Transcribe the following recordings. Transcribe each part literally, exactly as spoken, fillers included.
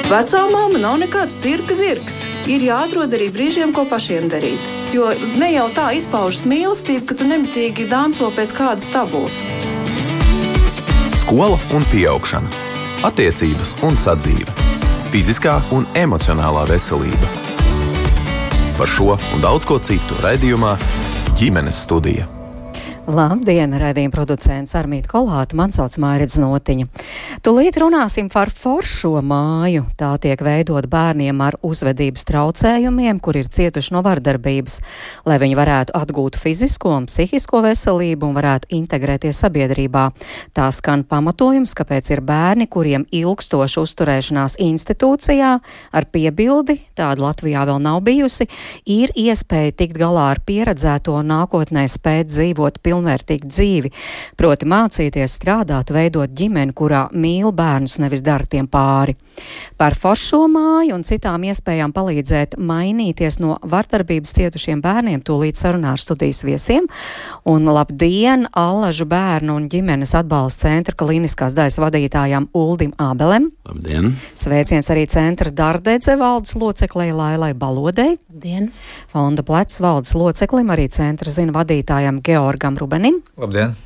Vecāmāma nav nekāds cirka zirgs. Ir jāatrod arī brīžiem, ko pašiem darīt. Jo ne jau tā izpaužas mīlestība, ka tu nemitīgi danco pēc kādas tabulas. Skola un pieaugšana. Attiecības un sadzīve. Fiziskā un emocionālā veselība. Par šo un daudz ko citu raidījumā Ģimenes studija. Labdien, raidījuma producents Armīta Kolāta, man sauc Mairidz Notiņa. Tūlīt runāsim par foršo māju. Tā tiek veidot bērniem ar uzvedības traucējumiem, kur ir cietuši no vardarbības, lai viņi varētu atgūt fizisko un psihisko veselību un varētu integrēties sabiedrībā. Tā skan pamatojums, kāpēc ir bērni, kuriem ilgstoša uzturēšanās institūcijā ar piebildi, tāda Latvijā vēl nav bijusi, ir iespēja tikt galā ar pieredzēto un nākotnē spēt dzīvot pilnīgi pilnvērtīgu dzīvi, proti mācīties strādāt, veidot ģimeni, kurā mīl bērnus, nevis dara tiem pāri. Par foršo māju un citām iespējām palīdzēt mainīties no vardarbības cietušiem bērniem tūlīt sarunā ar studijas viesiem. Un labdien Allažu bērnu un ģimenes atbalsta centra klīniskās daļas vadītājām Uldim Ābelem. Labdien! Sveiciens arī centra Dardedze valdes loceklei Lailai Balodei. Labdien! Fonda Plecs valdes loceklim, arī centra zina vadītājam Georgam Rubenim. Labdien!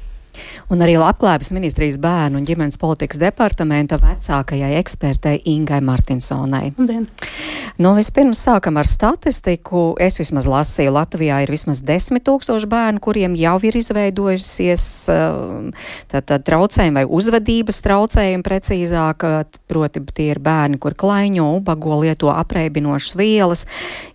Un arī Labklājības ministrijas bērnu un ģimenes politikas departamenta vecākajai ekspertei Ingai Martinsonai. Labdien! Nu, vispirms sākam ar statistiku. Es vismaz lasīju, Latvijā ir vismaz desmit tūkstoši bērnu, kuriem jau ir izveidojusies tā, tā, traucējumi vai uzvedības traucējumi precīzāk. Proti, tie ir bērni, kur klaiņo, ubago, lieto apreibinošas vielas,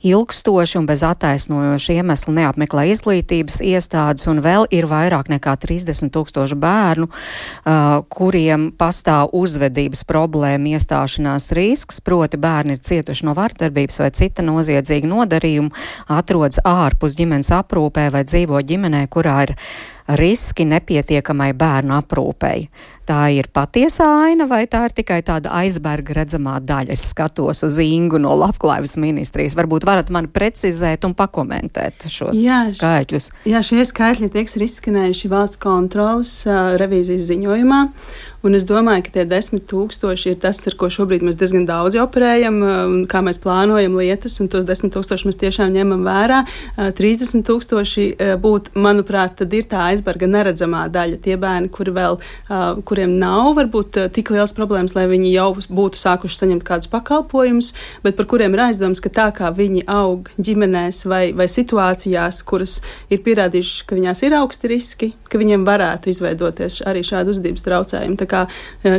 ilgstoši un bez attaisnojoša iemesla neapmeklē izglītības iestādes, un vēl ir vairāk nekā trīsdesmit tūkstoši bērnu, uh, kuriem pastāv uzvedības problēma iestāšanās risks, proti bērni ir cietuši no vardarbības vai cita noziedzīga nodarījuma, atrodas ārpus ģimenes aprūpē vai dzīvo ģimenē, kurā ir riski nepietiekamai bērnu aprūpei. Tā ir patiesā aina vai tā ir tikai tāda aizberga redzamā daļa? Es skatos uz Ingu no Labklājības ministrijas. Varbūt varat mani precizēt un pakomentēt šos jā, skaitļus. Jā, šie skaitļi tiek izskanējuši valsts kontrolas uh, revīzijas ziņojumā. Un es domāju, ka tie desmit tūkstoši ir tas, ar ko šobrīd mēs diezgan daudz operējam, un kā mēs plānojam lietas, un tos desmit tūkstoši mēs tiešām ņemam vērā. trīsdesmit tūkstoši būtu, manuprāt, tad ir tā aizberga neredzamā daļa. Tie bērni, kuri vēl, kuriem nav varbūt tik liels problēmas, lai viņi jau būtu sākuši saņemt kādus pakalpojumus, bet par kuriem ir aizdoms, ka tā kā viņi aug ģimenēs vai, vai situācijās, kuras ir pierādījuši, ka viņās ir augsti riski, ka viņiem varētu izveidoties arī šādi uzvedības traucējumi. Tā kā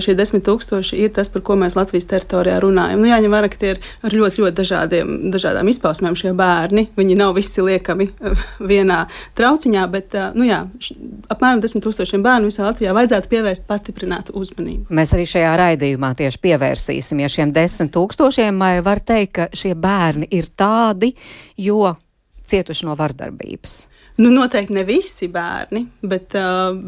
šie desmit tūkstoši ir tas, par ko mēs Latvijas teritorijā runājam. Nu, jāņem vērā, ka tie ir ar ļoti, ļoti dažādiem, dažādām izpausmēm šie bērni. Viņi nav visi liekami vienā trauciņā, bet, nu jā, apmēram desmit tūkstošiem bērnu visā Latvijā vajadzētu pievērst pastiprinātu uzmanību. Mēs arī šajā raidījumā tieši pievērsīsimies šiem desmit tūkstošiem, vai var teikt, ka šie bērni ir tādi, jo cietuši no vardarbības? Nu, noteikti ne visi bērni, bet,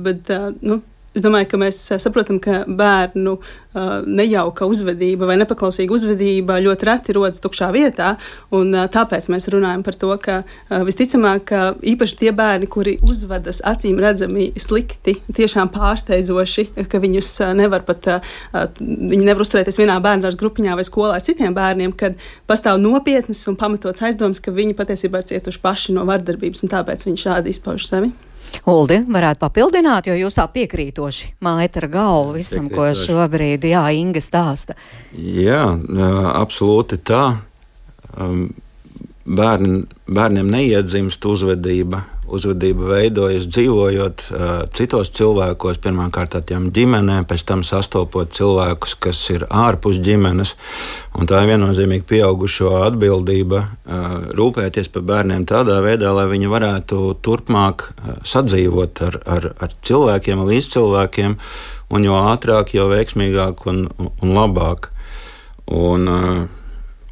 bet nu, es domāju, ka mēs saprotam, ka bērnu uh, nejauka uzvedība vai nepaklausīga uzvedība ļoti reti rodas tukšā vietā, un uh, tāpēc mēs runājam par to, ka uh, visticamāk, ka īpaši tie bērni, kuri uzvedas acīm redzami slikti, tiešām pārsteidzoši, ka viņus uh, nevar pat, uh, viņi nevar uzturēties vienā bērnās grupiņā vai skolā ar citiem bērniem, kad pastāv nopietnas un pamatots aizdoms, ka viņi patiesībā ir cietuši paši no vardarbības, un tāpēc viņi šādi izpauž sevi. Uldi, varētu papildināt, jo jūs tā piekrītoši mājat ar galvu visam, ko šobrīd, jā, Inga stāsta. Jā, absolūti tā. Bērni, bērniem neiedzimst uzvedība. Uzvedība veidojas dzīvojot uh, citos cilvēkos, pirmkārt tādām ģimenēm, pēc tam sastopot cilvēkus, kas ir ārpus ģimenes. Un tā ir viennozīmīgi pieaugušo atbildība uh, rūpēties par bērniem tādā veidā, lai viņi varētu turpmāk uh, sadzīvot ar, ar, ar cilvēkiem, līdz cilvēkiem, un jo ātrāk, jo veiksmīgāk un, un labāk. Un, uh,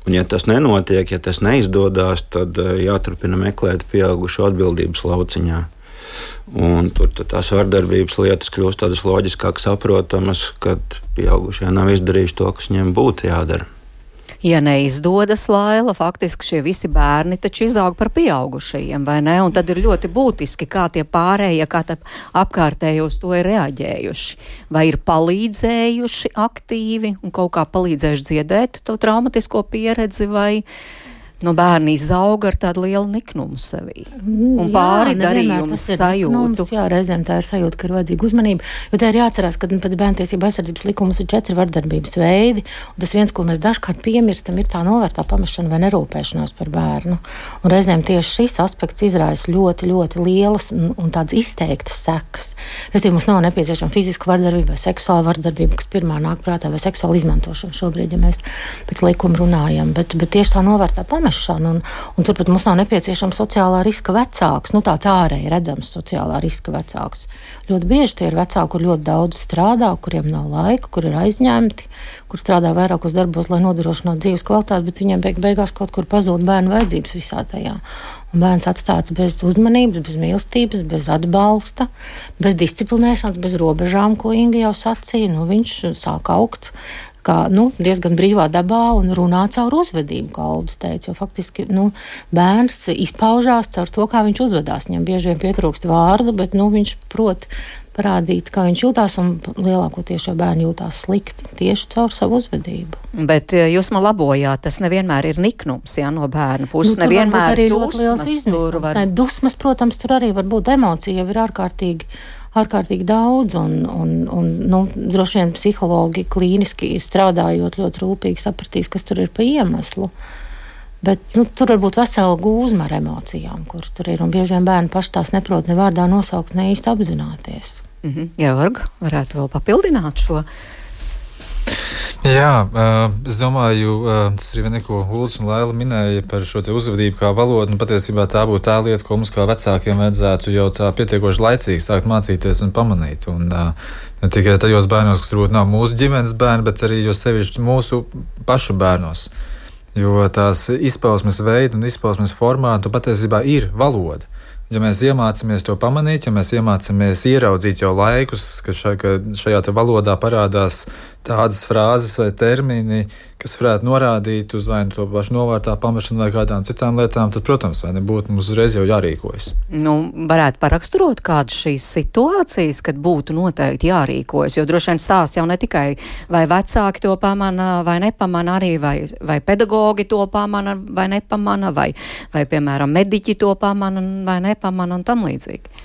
Un, ja tas nenotiek, ja tas neizdodas, tad jāturpina meklēt pieaugušo atbildības lauciņā. Un tur tās vardarbības lietas kļūst tādas loģiskāk saprotamas, kad pieaugušie nav izdarījuši to, kas viņiem būtu jādara. Ja neizdodas, Laila, faktiski šie visi bērni taču izaug par pieaugušajiem, vai ne? Un tad ir ļoti būtiski, kā tie pārējie, kā tā apkārtēji uz to ir reaģējuši. Vai ir palīdzējuši aktīvi un kaut kā palīdzējuši dziedēt to traumatisko pieredzi, vai no bērni izauga ar tādu lielu niknumu sevī. Un pāri darījumu sajūtu. Niknums, jā, reizēm tā ir sajūta, ka ir vajadzīga uzmanība, jo tā ir jāatcerās, ka pēc bērntiesību aizsardzības likumus ir četri vardarbības veidi, un tas viens, ko mēs dažkārt piemirstam, ir tā novērtā pamešana vai nerūpēšanās par bērnu. Un reizēm tieši šis aspekts izraisa ļoti, ļoti lielas un, un tādas izteiktas sekas. Reizēm mums nav nepieciešama fiziska vardarbība vai seksuāla vardarbība, kas pirmā nāk prātā, vai seksuāla izmantošana šobrīd, ja mēs pēc likuma runājam, bet, bet tieši tā novērtā pamešana. Un, un turpat mums nav nepieciešama sociālā riska vecāks, nu tāds ārēji redzams sociālā riska vecāks. Ļoti bieži tie ir vecāki, kur ļoti daudz strādā, kuriem nav laika, kur ir aizņemti, kur strādā vairākos darbos, lai nodrošinātu dzīves kvalitāti, bet viņiem beig beigās kaut kur pazūd bērnu vajadzības visā tajā. Un bērns atstāts bez uzmanības, bez mīlestības, bez atbalsta, bez disciplinēšanas, bez robežām, ko Inga jau sacīja. Nu, viņš sāk augt kā, nu, diezgan brīvā dabā un runā caur uzvedību, kā Aldis teica, jo faktiski, nu, bērns izpaužās caur to, kā viņš uzvedās. Viņam bieži vien pietrūkst vārdu, bet, nu, viņš prot parādīt, kā viņš jūtās, un lielākoties jau bērni jūtās slikti tieši caur savu uzvedību. Bet jūs man labojāt, tas nevienmēr ir niknums, jā, no bērna puses, nu, nevienmēr dusmas. Tur var... Ne, dusmas, protams, tur arī var būt emocija, jau ir ārkārtīgi ārkārtīgi daudz, un, un, un nu, droši vien psihologi klīniski strādājot ļoti rūpīgi sapratīs, kas tur ir pa iemeslu. Bet nu, tur var būt vesela gūzma ar emocijām, kuras tur ir, un bieži vien bērni paši tās neprot ne vārdā nosaukt, ne īsti apzināties. Mhm. Georg, varētu vēl papildināt šo? Jā, es domāju, tas arī neko Uldis un Laila minēja par šo te uzvedību kā valodu, un patiesībā tā būtu tā lieta, ko mums kā vecākiem vajadzētu jau tā pietiekoši laicīgi sākt mācīties un pamanīt. Un ne tikai tajos bērnos, kas varbūt nav mūsu ģimenes bērni, bet arī jo sevišķi mūsu pašu bērnos. Jo tās izpausmes veidi un izpausmes formātu patiesībā ir valoda. Ja mēs iemācāmies to pamanīt, ja mēs iemācāmies ieraudzīt jau laikus, ka, šā, ka šajā te valodā parādās tādas frāzes vai termini, kas varētu norādīt uz vai to pašu novārtā pamešanu vai kādām citām lietām, tad, protams, vai nebūtu mums uzreiz jau jārīkojas. Nu, varētu paraksturot kādas šīs situācijas, kad būtu noteikti jārīkojas, jo droši vien stāsts jau ne tikai vai vecāki to pamana vai nepamana arī, vai, vai pedagogi to pamana vai nepamana, vai, vai piemēram, mediķi to pamana vai nepamana un tam līdzīgi.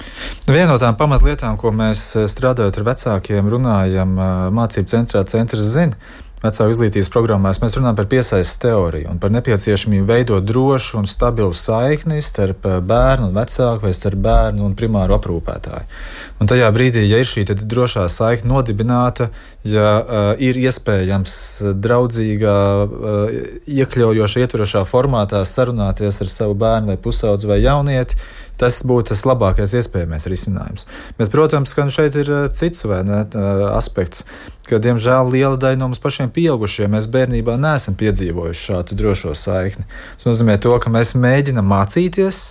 Viena no tām pamatlietām, ko mēs strādājot ar vecākiem runājam mācību centrā, centrs zina, vecāku izglītības programmās mēs runājam par piesaistes teoriju un par nepieciešamību veidot drošu un stabilu saikni starp bērnu un vecāku vai starp bērnu un primāru aprūpētāju. Un tajā brīdī, ja ir šī drošā saikne nodibināta, ja uh, ir iespējams draudzīgā, uh, iekļaujoša, ietverošā formātā sarunāties ar savu bērnu vai pusaudzi vai jaunieti, tas būtu tas labākais iespējamais risinājums. Bet, protams, ka šeit ir cits vai ne, aspekts, ka, diemžēl, liela daļa no mums pašiem pieaugušiem mēs bērnībā neesam piedzīvojuši šādu drošo saikni. Tas nozīmē to, ka mēs mēģinam mācīties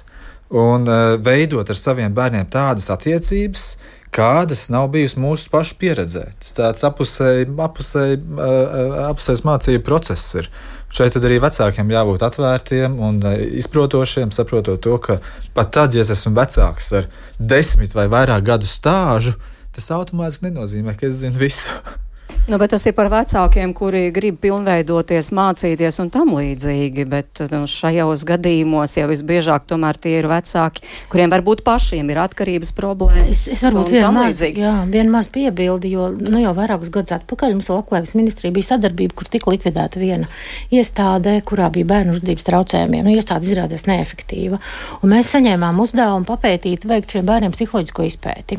un uh, veidot ar saviem bērniem tādas attiecības, kādas nav bijusi mūsu pašu pieredzē. Tas tāds apusēji, apusēji, uh, apusējs mācību process ir. Šeit tad arī vecākiem jābūt atvērtiem un izprotošiem, saprotot to, ka pat tad, ja es esmu vecāks ar desmit vai vairāk gadu stāžu, tas automātiski nenozīmē, ka es zinu visu. Nu, bet tas ir par vecākiem, kuri grib pilnveidoties, mācīties un tam līdzīgi, bet nu, šajos gadījumos jau visbiežāk tomēr tie ir vecāki, kuriem varbūt pašiem ir atkarības problēmas. Es, es varbūt vien maz, jā, vien maz piebildi, jo nu, jau vairākus gadus atpakaļ mums Labklājības ministrija bija sadarbība, kur tika likvidēta viena iestādē, kurā bija bērnu uzvedības traucējumiem. Nu, iestāde izrādījās neefektīva. Un mēs saņēmām uzdevumu papētīt, veikt šiem bērniem psiholoģisko izpēti.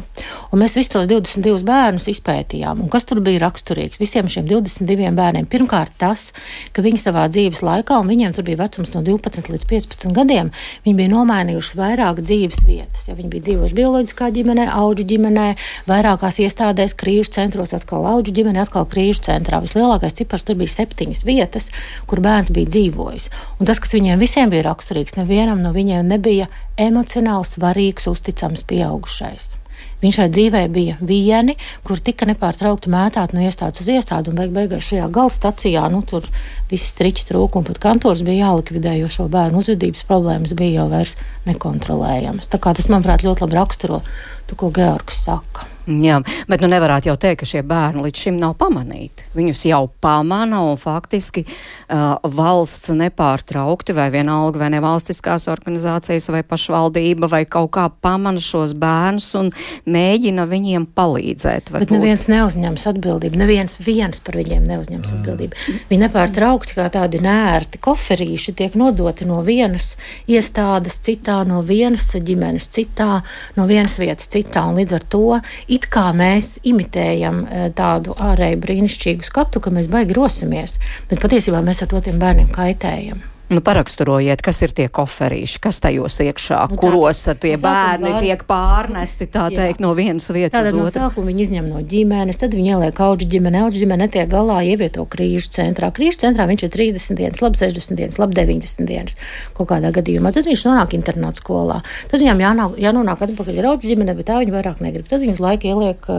Un mēs visus tos divdesmit divus bērnus izpētījām. Un kas tur bija raksturīgs? Visiem šiem divdesmit diviem bērniem. Pirmkārt tas, ka viņi savā dzīves laikā, un viņiem tur bija vecums no divpadsmit līdz piecpadsmit gadiem, viņi bija nomainījuši vairāk dzīves vietas. Ja viņi bija dzīvojuši bioloģiskā ģimenē, auģu ģimenē, vairākās iestādēs, krīžu centros, atkal auģu ģimenē, atkal krīžu centrā. Vislielākais cipars tur bija septiņas vietas, kur bērns bija dzīvojis. Un tas, kas viņiem visiem bija raksturīgs, nevienam no viņiem nebija emocionāli svarīgs, uzticams pieaugušais. Viņš šai dzīvē bija vieni, kur tika nepārtraukti mētāt no iestādes uz iestādi, un beig beigās šajā galstacijā, nu, tur visi striķi trūka, un pat kantors bija jālikvidē, jo šo bērnu uzvedības problēmas bija jau vairs nekontrolējamas. Tā kā tas, manuprāt, ļoti labi raksturo to, ko Georgs saka. Jā, bet nu nevarētu jau teikt, ka šie bērni līdz šim nav pamanīti. Viņus jau pamana un faktiski uh, valsts nepārtraukti vai vienalga vai nevalstiskās organizācijas vai pašvaldība vai kaut kā pamana šos bērnus un mēģina viņiem palīdzēt. Bet neviens neuzņems atbildību, neviens viens par viņiem neuzņems mm. atbildību. Viņi nepārtraukti kā tādi nērti koferīši tiek nodoti no vienas iestādes citā, no vienas ģimenes citā, no vienas vietas citā, un līdz ar to it kā mēs imitējam tādu ārēju brīnišķīgu skatu, ka mēs baigi rosimies, bet patiesībā mēs ar to tiem bērniem kaitējam. Nu, paraksturojiet, kas ir tie koferīši, kas tajos iekšā, nu, kuros tad tie bērni bār... tiek pārnesti, tā teikt, jā. No vienas vietas Tātad uz no otru. Sākuma viņi izņem no ģimenes, tad viņi ieliek auģu ģimene, auģu ģimene netiek galā, ievieto krīžu centrā. Krīžu centrā viņš ir trīsdesmit dienas, labi sešdesmit dienas, labi deviņdesmit dienas kaut kādā gadījumā. Tad viņš nonāk internāta skolā. Tad viņam jānāk, jānonāk atpakaļ ar auģu ģimene, bet tā viņi vairāk negrib. Tad viņus laika ieliek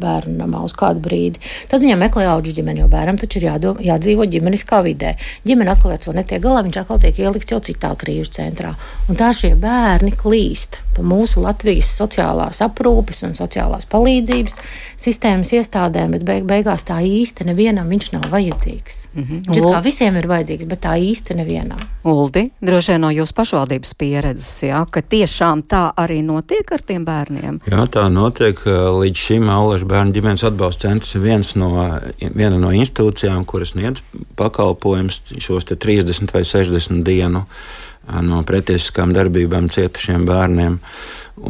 bērnu namā uz kādu brīdi. Tad viņam meklē auģu ģimeni, jo bērnam taču ir jādom, jādzīvo ģimeniskā vidē. Ģimene atkal ar to netiek galā, viņš atkal tiek ielikts jau citā krīžu centrā. Un tā šie bērni klīst pa mūsu Latvijas sociālās aprūpes un sociālās palīdzības sistēmas iestādēm, bet beig beigās tā īsti nevienam viņš nav vajadzīgs. Mm-hmm. Viņš kā visiem ir vajadzīgs, bet tā īsti nevienam. Uldi, droši vien no jūsu pašvaldības pieredzes, jā, ka tiešām tā arī notiek ar tiem bērniem? Jā, tā notiek. Līdz šim Allažu bērnu ģimenes atbalsta centrs ir viens no, viena no institūcijām, kuras sniedz pakalpojums šos te trīsdesmit vai sešdesmit dienu no pretiesiskām darbībām cietušiem bērniem.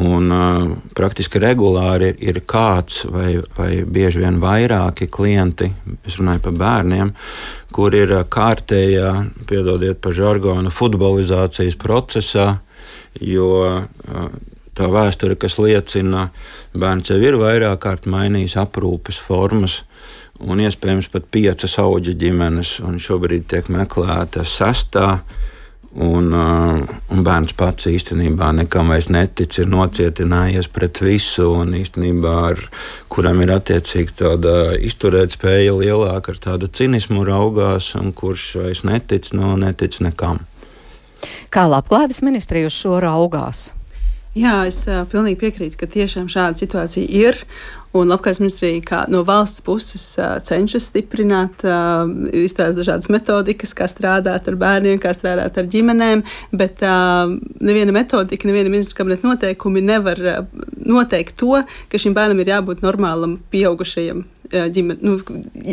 Un uh, praktiski regulāri ir, ir kāds vai, vai bieži vien vairāki klienti, es runāju par bērniem, kur ir kārtējā, piedodiet par žargonu, futbolizācijas procesā, jo uh, tā vēsture, kas liecina, bērns jau ir vairāk kārt mainījis aprūpes formas, un iespējams pat piecas auģu ģimenes, un šobrīd tiek meklēta sestā. Un, uh, un bērns pats īstenībā nekam vairs netic, ir nocietinājies pret visu, un īstenībā ar kuram ir attiecīgi tāda izturēt spēja lielāka, ar tādu cinismu raugās, un kurš vairs netic, no netic nekam. Kā Labklājības ministrija uz šo raugās? Jā, es uh, pilnīgi piekrītu, ka tiešām šāda situācija ir. Un Labklājības ministrija kā no valsts puses uh, cenšas stiprināt, uh, ir izstrādāts dažādas metodikas, kā strādāt ar bērniem, kā strādāt ar ģimenēm, bet uh, neviena metodika, neviena ministra kabineta noteikumi nevar uh, noteikt to, ka šim bērnam ir jābūt normālam pieaugušajam uh, ģimene. Nu,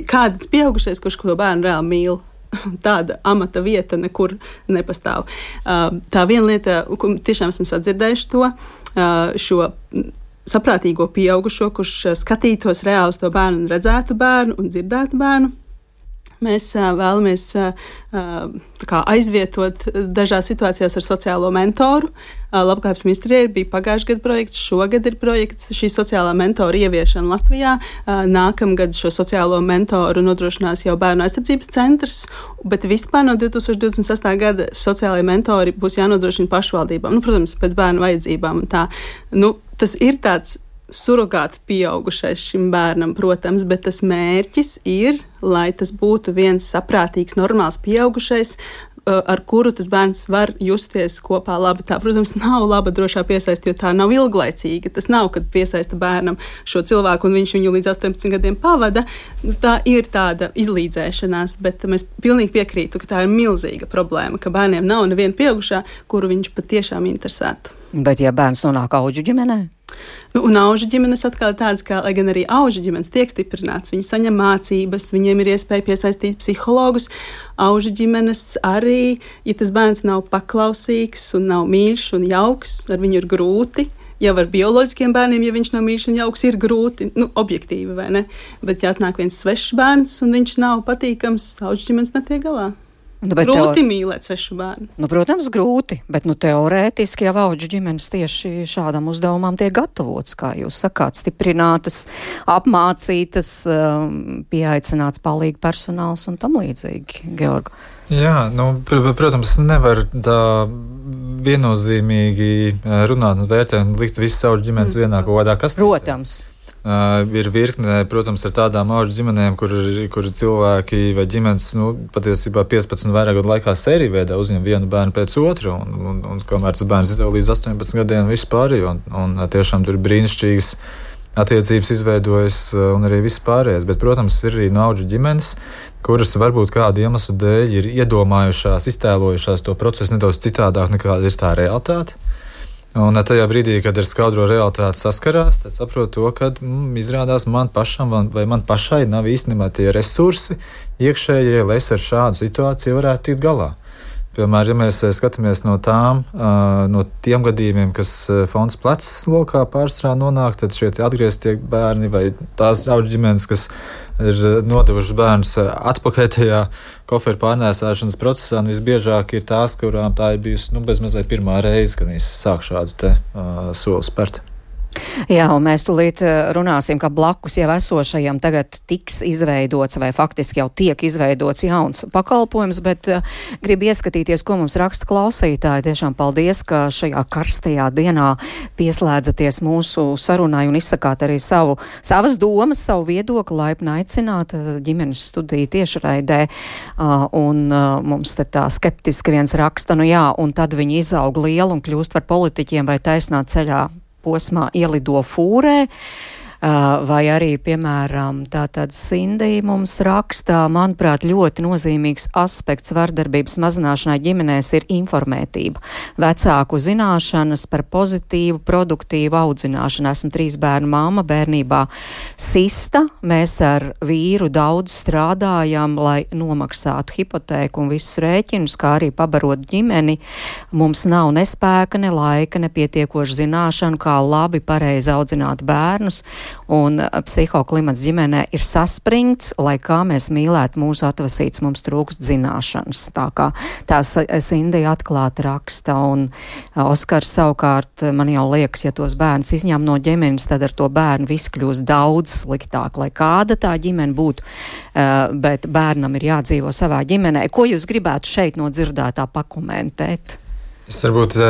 kāds pieaugušais, kurš ko bērnu reāli mīl. Tāda amata vieta nekur nepastāv. Uh, tā viena lieta, ko tiešām esam sadzirdējuši to, uh, šo saprātīgo pieaugušo, kurš skatītos reāli uz to bērnu un redzētu bērnu un dzirdētu bērnu. Mēs uh, vēlamies uh, tā kā aizvietot dažās situācijās ar sociālo mentoru. Uh, Labklājības ministrijai bija pagājušajā gadā projekts, šogad ir projekts šī sociālā mentora ieviešana Latvijā. Uh, nākamgad šo sociālo mentoru nodrošinās jau Bērnu aizsardzības centrs, bet vispār no divi tūkstoši divdesmit sestā gada sociālajie mentori būs jānodrošina pašvaldībām. Nu, protams, pēc bērnu vajadzībām. Tā, nu, tas ir tāds surogāti pieaugušais šim bērnam, protams, bet tas mērķis ir, lai tas būtu viens saprātīgs, normāls pieaugušais, ar kuru tas bērns var justies kopā labi. Tā, protams, nav laba drošā piesaiste, jo tā nav ilglaicīga. Tas nav, kad piesaista bērnam šo cilvēku un viņš viņu līdz astoņpadsmit gadiem pavada. Nu, tā ir tāda izlīdzēšanās, bet mēs pilnīgi piekrītu, ka tā ir milzīga problēma, ka bērniem nav neviena pieaugušā, kuru viņš patiešām interesētu. Bet ja bērns nonāk auģu ģimenē? Nu, un aužu ģimenes atkal ir tādas, ka, lai gan arī aužu ģimenes tiek stiprināts, viņi saņem mācības, viņiem ir iespēja piesaistīt psihologus. Aužu ģimenes arī, ja tas bērns nav paklausīgs un nav mīļš un jauks, ar viņu ir grūti. Jau ar bioloģiskiem bērniem, ja viņš nav mīļš un jauks, ir grūti, nu, objektīvi, vai ne? Bet, ja atnāk viens svešs bērns un viņš nav patīkams, aužu ģimenes netiek galā. Nu, grūti teo... mīlēt svešu bērnu. Nu, protams, grūti, bet nu, teorētiski jau auģu ģimenes tieši šādam uzdevumam tiek gatavots, kā jūs sakāt, stiprinātas, apmācītas, pieaicināts palīgi personāls un tam līdzīgi, Georg. Jā, nu, pr protams, nevar tā viennozīmīgi runāt un vērtēt un likt visu savu ģimenes mm. vienā kaut kādā kastītē. Protams. Uh, ir virkne, protams, ar tādām auģu ģimenēm, kur, kur cilvēki vai ģimenes, nu, patiesībā piecpadsmit vairāk gadu laikā sēriju veidā uzņem vienu bērnu pēc otru, un, un, un kamēr tas bērns izaug līdz astoņpadsmit gadiem, viss pārējo, un, un tiešām tur ir brīnišķīgas attiecības izveidojas un arī viss pārējais. Bet, protams, ir arī no auģu ģimenes, kuras varbūt kādu iemeslu dēļ ir iedomājušās, iztēlojušās to procesu nedaudz citādāk nekā ir tā realitāte. Un tajā brīdī, kad ar skaudro realitāti saskarās, tad saprot to, ka mm, izrādās man pašam vai man pašai nav īstenībā tie resursi iekšējie, lai es ar šādu situāciju varētu tikt galā. Piemēram, ja mēs skatāmies no tām, no tiem gadījumiem, kas fonds plecs lokā pārstrā nonāk, tad šie atgrieztie bērni vai tās auģu ģimenes, kas ir nodevuši bērnus atpakaļ tajā koferu pārnēsāšanas procesā, un visbiežāk ir tās, kurām tā ir bijusi nu, bezmazliet pirmā reize, kad viņas sāk šādu te uh, soli spērt. Jā, un mēs tūlīt runāsim, ka blakus jau esošajam tagad tiks izveidots vai faktiski jau tiek izveidots jauns pakalpojums, bet uh, grib ieskatīties, ko mums raksta klausītāji. Tiešām paldies, ka šajā karstajā dienā pieslēdzaties mūsu sarunai un izsakāt arī savu, savas domas, savu viedokli, laipni aicināt ģimenes studiju tiešraidē. Uh, un uh, mums te tā skeptiski viens raksta, nu jā, un tad viņi izaug lielu un kļūst par politiķiem vai taisnā ceļā posmā ielido fūrē, vai arī, piemēram, tātad Sindija mums rakstā, manuprāt, ļoti nozīmīgs aspekts vardarbības mazināšanai ģimenēs ir informētība. Vecāku zināšanas par pozitīvu, produktīvu audzināšanu. Esmu trīs bērnu mamma, bērnībā sista. Mēs ar vīru daudz strādājam, lai nomaksātu hipotēku un visus rēķinus, kā arī pabarot ģimeni. Mums nav ne spēka, ne laika, ne pietiekoši zināšanu, kā labi pareizi audzināt bērnus. Un psihoklimats ģimenē ir saspringts, lai kā mēs mīlētu mūsu atvasīts, mums trūkst zināšanas. Tā kā tā Sindija atklāti raksta, un Oskars savukārt man jau liekas, ja tos bērnus izņem no ģimenes, tad ar to bērnu viss kļūst daudz sliktāk, lai kāda tā ģimene būtu, bet bērnam ir jādzīvo savā ģimenē. Ko jūs gribētu šeit no dzirdētā pakomentēt? Es varbūt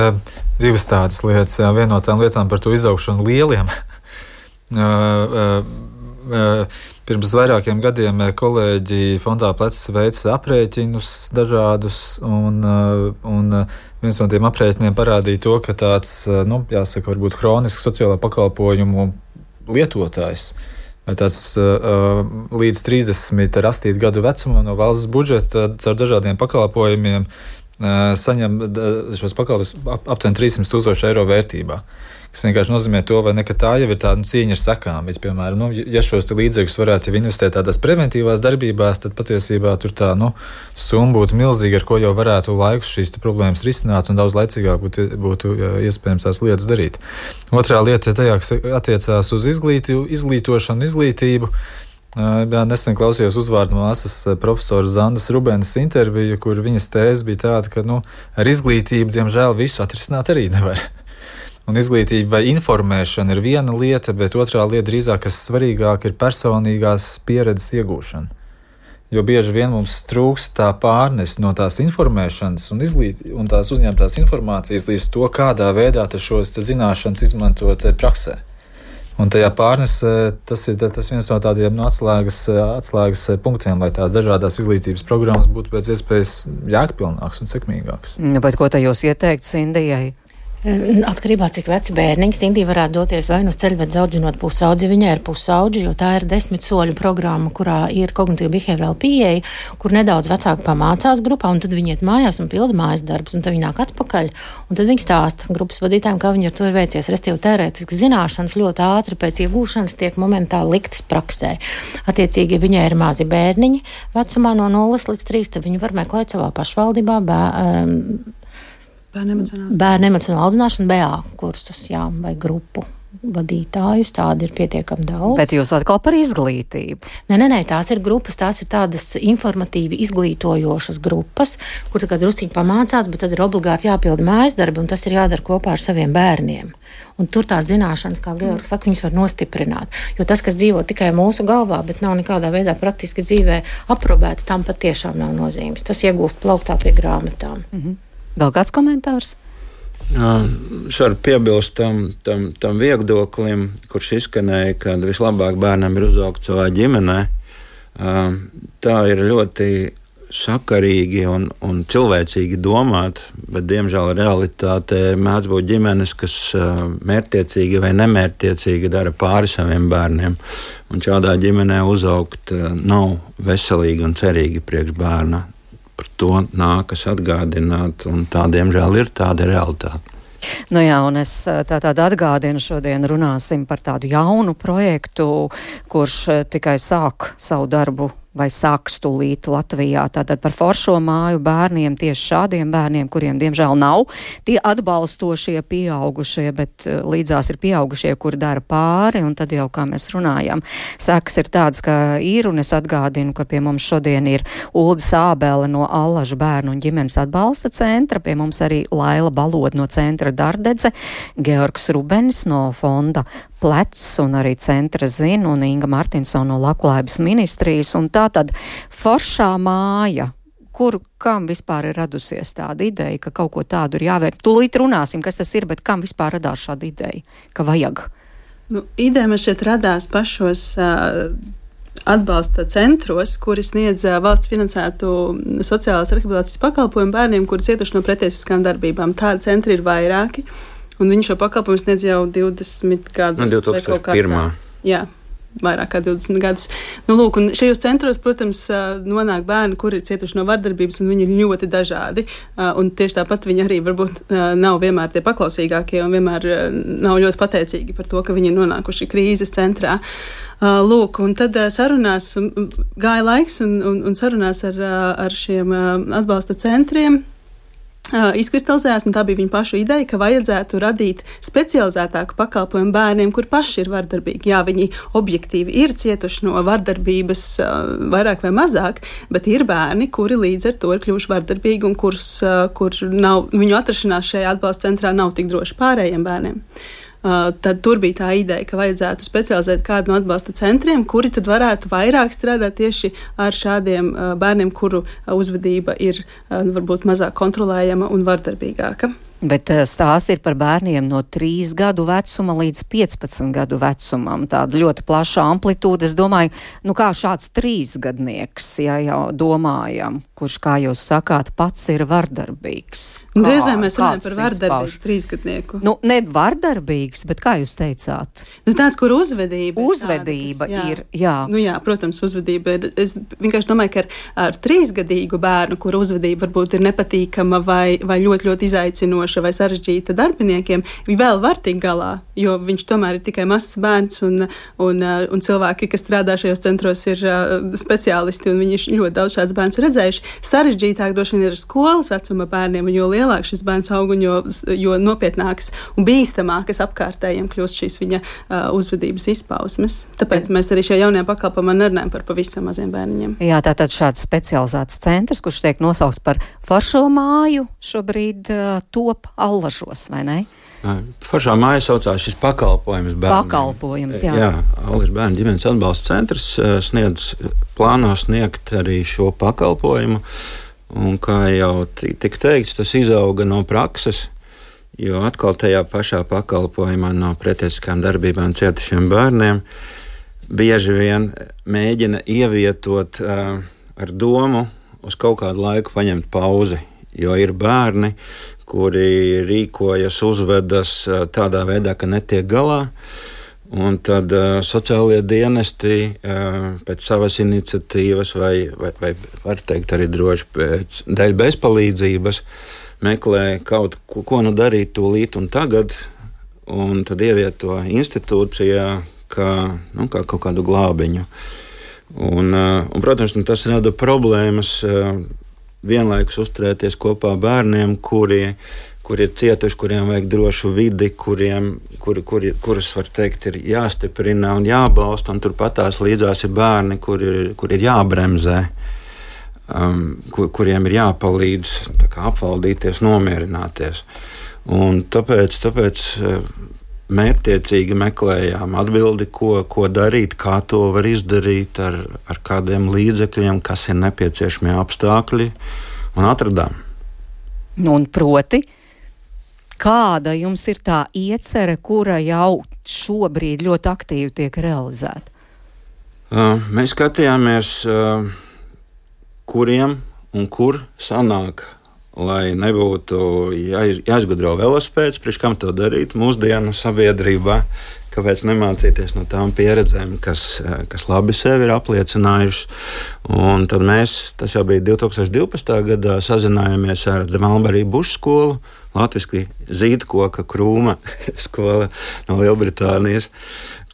divas tādas lietas, viena no tām lietām par to izaugšanu lieliem. Uh, uh, uh, pirms vairākiem gadiem kolēģi fondā plecs veica aprēķinus dažādus, un, uh, un viens no tiem aprēķiniem parādīja to, ka tāds, uh, nu, jāsaka, varbūt hronisks sociālā pakalpojumu lietotājs vai tāds uh, līdz trīsdesmit ar astoņu gadu vecumā no valsts budžeta caur dažādiem pakalpojumiem uh, saņem šos pakalpojumus ap, aptuveni trīssimt tūkstoši eiro vērtībā. Tas vienkārši nozīmē to, vai ne, ka tā jau ir tāda nu, cīņa ar sekām. Bet, piemēram, nu, ja šos līdzekļus varētu jau investēt tādās preventīvās darbībās, tad patiesībā tur tā nu, summa būtu milzīga, ar ko jau varētu laikus šīs problēmas risināt un daudz laicīgāk būtu, būtu iespējams tās lietas darīt. Otrā lieta tajā, kas attiecās uz izglīti, izglītošanu, izglītību. Jā, nesen klausījos uzvārdu māsas profesora Zandas Rubenes interviju, kur viņas tēze bija tāda, ka nu, ar izglītību, diemžēl, visu atrisināt arī nevar. Un izglītība vai informēšana ir viena lieta, bet otrā lieta drīzāk, kas svarīgāk, ir personīgās pieredzes iegūšana. Jo bieži vien mums trūkst tā pārnes no tās informēšanas un, izglīt, un tās uzņemtās informācijas līdz to, kādā veidā šos zināšanas izmantot praksē. Un tajā pārnesē tas ir tas viens no tādiem no atslēgas, atslēgas punktiem, lai tās dažādās izglītības programmas būtu pēc iespējas jēgpilnākas un sekmīgākas. Bet ko te jūs ieteiktu Sindijai? Atkarībā cik veci bērniņi, Sindija varētu doties vai nu uz ceļvedes audzinot pusaudži, viņai ir pusaudži, jo tā ir desmit soļu programma, kurā ir kognitīva behaviorāla pieeja, kur nedaudz vecāki pamācās grupā, un tad viņi iet mājās un pilda mājas darbus, un tad viņi nāk atpakaļ, un tad viņi stāsta grupas vadītājiem, kā viņi ar to ir veicies. Restīvi teorētiski zināšanas ļoti ātri pēc iegūšanas tiek momentāli liktas praksē. Attiecīgi, ja viņai ir mazi bērniņi vecumā no nulles līdz trīs, tad viņi var meklēt savā pašvaldībā bē, um, Bērnu emocionāla audzināšana, B A kursus, jā, vai grupu vadītājus, tādi ir pietiekami daudz. Bet jūs atkal par izglītību? Nē, nē, nē, tās ir grupas, tās ir tādas informatīvi izglītojošas grupas, kur tā kā drusciņi pamācās, bet tad ir obligāti jāpilda mājas darbi, un tas ir jādara kopā ar saviem bērniem. Un tur tās zināšanas, kā Georgs saka, viņas var nostiprināt. Jo tas, kas dzīvo tikai mūsu galvā, bet nav nekādā veidā praktiski dzīvē aprobēts, tam pat tiešām nav nozīmes. Tas iegūst plauktā pie grāmatām. Mhm. Vēl kāds komentārs? Es varu piebilst tam, tam, tam viedoklim, kurš izskanēja, ka vislabāk bērnam ir uzaugt savā ģimenē. Tā ir ļoti sakarīgi un, un cilvēcīgi domāt, bet, diemžēl, realitātē mēdz būt ģimenes, kas mērķtiecīgi vai nemērķtiecīgi dara pāri saviem bērniem. Un šādā ģimenē uzaugt nav veselīgi un cerīgi priekš bērna. Par to nākas atgādināt, un tā, diemžēl, ir tāda realitāte. Nu jā, un es tātad atgādinu, šodien runāsim par tādu jaunu projektu, kurš tikai sāk savu darbu vai sāks tūlīt Latvijā. Tātad par foršo māju bērniem, tieši šādiem bērniem, kuriem diemžēl nav tie atbalstošie pieaugušie, bet līdzās ir pieaugušie, kuri dara pāri, un tad jau, kā mēs runājam, sekas ir tāds, ka ir, un es atgādinu, ka pie mums šodien ir Ulda Sābele no Allažu bērnu un ģimenes atbalsta centra, pie mums arī Laila Balod no centra Dardedze, Georgs Rubenis no fonda Plecs un arī centra Zin un Inga Martinsona no Labklājības ministrijas, un tā tad foršā māja, kur, kam vispār ir radusies tāda ideja, ka kaut ko tādu ir jāvērt. Tūlīt runāsim, kas tas ir, bet kam vispār radās šāda ideja, ka vajag? Nu, ideja man šķiet radās pašos uh, atbalsta centros, kuri sniedz uh, valsts finansētu sociālās rehabilitācijas pakalpojumu bērniem, kuri cietuši no pretiesiskām darbībām. Tādi centri ir vairāki. Un viņš šo pakalpojumu sniedz jau divdesmit gadus. No divtūkstoš pirmā. Jā, vairāk kā divdesmit gadus. Nu, lūk, un šajos centros, protams, nonāk bērni, kuri ir cietuši no vardarbības, un viņi ir ļoti dažādi. Un tieši tāpat viņi arī varbūt nav vienmēr tie paklausīgākie un vienmēr nav ļoti pateicīgi par to, ka viņi ir nonākuši krīzes centrā. Lūk, un tad sarunās gāja laiks un, un, un sarunās ar, ar šiem atbalsta centriem. Uh, izkristalizējās, un tā bija viņa pašu ideja, ka vajadzētu radīt specializētāku pakalpojumu bērniem, kur paši ir vardarbīgi. Jā, viņi objektīvi ir cietuši no vardarbības uh, vairāk vai mazāk, bet ir bērni, kuri līdz ar to ir kļuvuši vardarbīgi un kurus, uh, kur nav, viņu atrašanās šajā atbalsta centrā nav tik droši pārējiem bērniem. Uh, tad tur bija tā ideja, ka vajadzētu specializēt kādu no atbalsta centriem, kuri tad varētu vairāk strādāt tieši ar šādiem uh, bērniem, kuru uh, uzvedība ir uh, varbūt mazāk kontrolējama un vardarbīgāka. Bet stāsts ir par bērniem no trīs gadu vecuma līdz piecpadsmit gadu vecumam. Tāda ļoti plaša amplitūda. Es domāju, nu kā šāds trīsgadnieks, ja jau domājam, kurš, kā jūs sakāt, pats ir vardarbīgs. Kā, Diez vai mēs runājam par vardarbīgu trīsgadnieku? Nu, ne vardarbīgs, bet kā jūs teicāt? Nu, tāds, kur uzvedība. Uzvedība tāda, kas, jā. ir, jā. Nu jā, protams, uzvedība ir. Es vienkārši domāju, ka ar, ar trīsgadīgu bērnu, kur uzvedība varbūt ir nepatīkama vai, vai ļoti, ļoti izaicinoša vai sarežģīta darbiniekiem, viņi vēl var tikt galā, jo viņš tomēr ir tikai mazs bērns un, un, un cilvēki, kas strādā šajos centros, ir uh, speciālisti un viņi ļoti daudz šāds bērns redzējuši. Sarežģītāk droši vien ir skolas vecuma bērniem, un jo lielāk šis bērns aug un jo, jo nopietnāks un bīstamākas apkārtējiem kļūst šīs viņa uh, uzvedības izpausmes. Tāpēc mēs arī šajā jaunajā pakalpojumā nerunājam par pavisam maziem bērniņiem. Jā, tātad šāds specializēts centrs, kurš tiek nosaukts par foršo māju, šobrīd uh, top Allažos, vai ne? Foršā māja saucās šis pakalpojums bērniem. Pakalpojums, jā. Jā, Allažu bērnu ģimenes atbalsta centrs sniedz, plāno sniegt arī šo pakalpojumu. Un kā jau tika teikts, tas izauga no prakses, jo atkal tajā pašā pakalpojumā no pretiesiskām darbībām cietušiem bērniem bieži vien mēģina ievietot uh, ar domu uz kaut kādu laiku paņemt pauzi, jo ir bērni, kuri rīkojas, uzvedas tādā veidā, ka netiek galā. Un tad uh, sociālie dienesti uh, pēc savas iniciatīvas vai, vai, vai var teikt arī droši pēc dēļ bezpalīdzības meklē kaut ko, ko nu darīt tūlīt un tagad, un tad ievieto institūcijā kā, nu, kā kaut kādu glābiņu. Un, uh, un, protams, nu, tas rada problēmas uh, vienlaikus uzturēties kopā bērniem, kuri, kuri ir cietuši, kuriem vajag drošu vidi, kuriem, kuri, kuri, kurus, var teikt, ir jāstiprina un jābalsta, un turpatās līdzās ir bērni, kuri, kuri ir jābremzē, um, kur, kuriem ir jāpalīdz tā kā apvaldīties, nomierināties. Un tāpēc, tāpēc mērķtiecīgi meklējām atbildi, ko, ko darīt, kā to var izdarīt, ar, ar kādiem līdzekļiem, kas ir nepieciešamie apstākļi, un atradām. Un proti, Kāda jums ir tā iecere, kura jau šobrīd ļoti aktīvi tiek realizēta? Uh, mēs skatījāmies, uh, kuriem un kur sanāk, lai nebūtu jāiz, jāizgudro velospēds, priekš kam to darīt mūsdienu sabiedrībā, kāpēc nemācīties no tām pieredzēm, kas, kas labi sevi ir apliecinājušas. Un tad mēs, tas jau bija divi tūkstoši divpadsmitā gadā, sazinājāmies ar The Mulberry Bush skolu, latviski zīdkoka krūma skola no Lielbritānijas,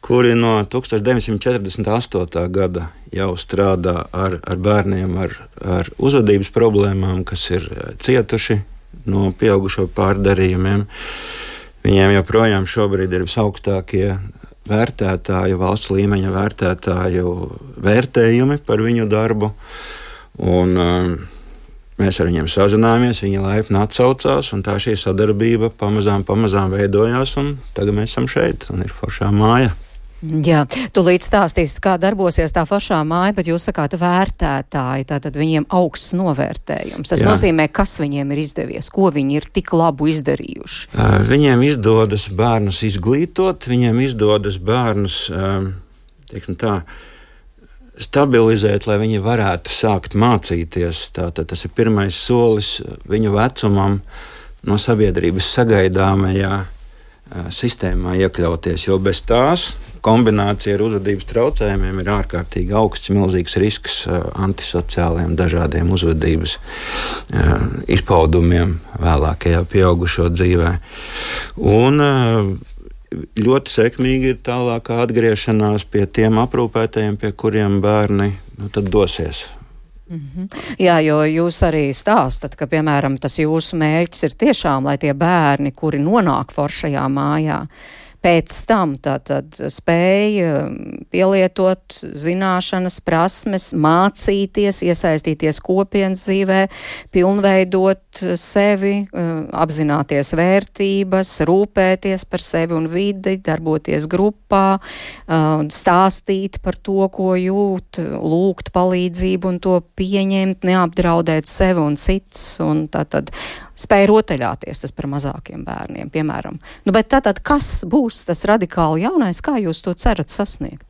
kuri no tūkstoš deviņsimt četrdesmit astotā gada jau strādā ar, ar bērniem ar, ar uzvedības problēmām, kas ir cietuši no pieaugušo pārdarījumiem. Viņiem joprojām šobrīd ir visaugstākie vērtētāju, valsts līmeņa vērtētāju vērtējumi par viņu darbu. Un, um, mēs ar viņiem sazinājāmies, viņi laipni atsaucās, un tā šī sadarbība pamazām, pamazām veidojās, un tagad mēs esam šeit, un ir foršā māja. Jā, tu līdz stāstīsi, kā darbosies tā foršā māja, bet jūs sakāt vērtētāji, tātad viņiem augsts novērtējums. Tas Jā. nozīmē, kas viņiem ir izdevies, ko viņi ir tik labu izdarījuši. Uh, viņiem izdodas bērnus izglītot, viņiem izdodas bērnus, um, teiksim tā, stabilizēt, lai viņi varētu sākt mācīties. Tātad tas ir pirmais solis viņu vecumam no sabiedrības sagaidāmajā uh, sistēmā iekļauties, jo bez tās kombinācija ar uzvedības traucējumiem ir ārkārtīgi augsts, milzīgs risks uh, antisociāliem dažādiem uzvedības uh, izpaudumiem vēlākajā pieaugušo dzīvē. Un uh, ļoti sekmīgi ir tālākā atgriešanās pie tiem aprūpētajiem, pie kuriem bērni nu, tad dosies. Mm-hmm. Jā, jo jūs arī stāstat, ka, piemēram, tas jūsu mērķis ir tiešām, lai tie bērni, kuri nonāk foršajā mājā, pēc tam tātad spēja pielietot zināšanas, prasmes, mācīties, iesaistīties kopienas dzīvē, pilnveidot sevi, apzināties vērtības, rūpēties par sevi un vidi, darboties grupā, stāstīt par to, ko jūt, lūgt palīdzību un to pieņemt, neapdraudēt sevi un cits, un tātad spēja rotaļāties, tas par mazākiem bērniem, piemēram. Nu, bet tātad, kas būs tas radikāli jaunais, kā jūs to cerat sasniegt?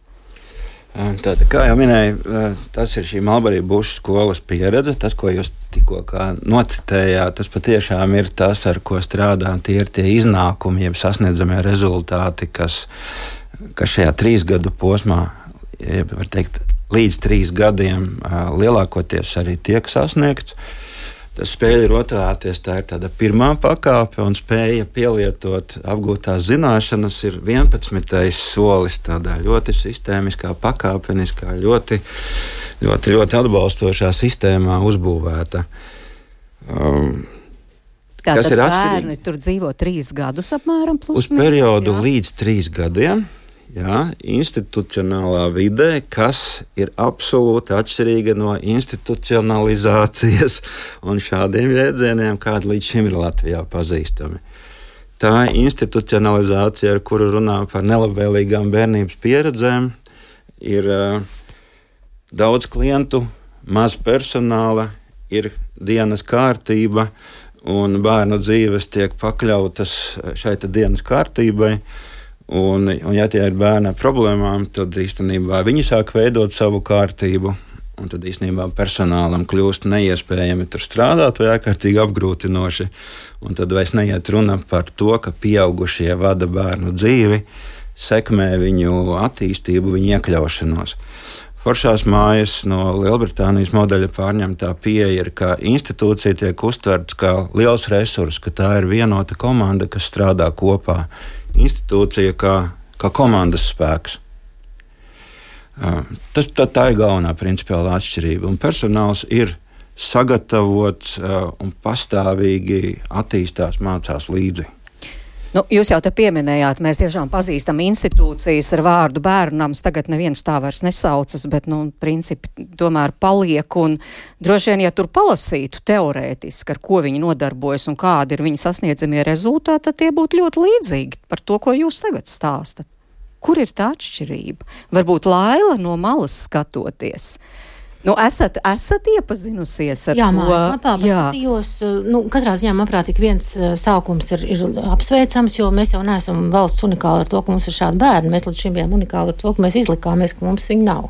Tad, kā jau minēju, tas ir šī Mulberry Bush skolas pieredze, tas, ko jūs tikko nocitējāt, tas patiešām ir tas, ar ko strādā, tie ir tie iznākumi, jeb sasniedzamie rezultāti, kas, kas šajā trīs gadu posmā, jeb, var teikt, līdz trīs gadiem lielākoties arī tiek sasniegts. Tas spēja rotāties, tā ir tāda pirmā pakāpe, un spēja pielietot apgūtās zināšanas ir vienpadsmitais solis, tādā ļoti sistēmiskā, pakāpeniskā, ļoti, ļoti, ļoti atbalstošā sistēmā uzbūvēta. Um, Tātad bērni tur dzīvo trīs gadus apmēram plus uz periodu jā. Līdz trīs gadiem. Jā, institucionālā vidē, kas ir absolūti atšķirīga no institucionalizācijas un šādiem jēdzieniem, kādi līdz šim ir Latvijā pazīstami. Tā institucionalizācija, ar kuru runā par nelabvēlīgām bērnības pieredzēm, ir uh, daudz klientu, maz personāla, ir dienas kārtība, un bērnu dzīves tiek pakļautas šai dienas kārtībai. Un, un ja tie ir bērni ar problēmām, tad īstenībā viņi sāk veidot savu kārtību, un tad īstenībā personālam kļūst neiespējami tur strādāt vai ārkārtīgi apgrūtinoši. Un tad vairs neiet runa par to, ka pieaugušie vada bērnu dzīvi, sekmē viņu attīstību, viņu iekļaušanos. Foršās mājas no Lielbritānijas modeļa pārņemtā pieeja ir, ka institūcija tiek uztverts kā liels resurs, ka tā ir vienota komanda, kas strādā kopā. Institūcija kā, kā komandas spēks. Tas, tā, tā ir galvenā principiālā atšķirība. Un personāls ir sagatavots un pastāvīgi attīstās, mācās līdzi. Nu, jūs jau te pieminējāt, mēs tiešām pazīstam institūcijas ar vārdu bērnams, tagad neviens tā vairs nesaucas, bet, nu, principi tomēr paliek, un droši vien, ja tur palasītu teorētiski, ar ko viņi nodarbojas un kādi ir viņi sasniedzamie rezultāti, tad tie būtu ļoti līdzīgi par to, ko jūs tagad stāstat. Kur ir tā atšķirība? Varbūt Laila no malas skatoties. Nu, esat, esat iepazinusies ar jā, to? Mājaslapā paskatījos. Nu, katrā ziņā, manuprāt, tik viens sākums ir, ir apsveicams, jo mēs jau neesam valsts unikāli ar to, ka mums ir šādi bērni. Mēs līdz šim bijām unikāli ar to, ka mēs izlikāmies, ka mums viņi nav.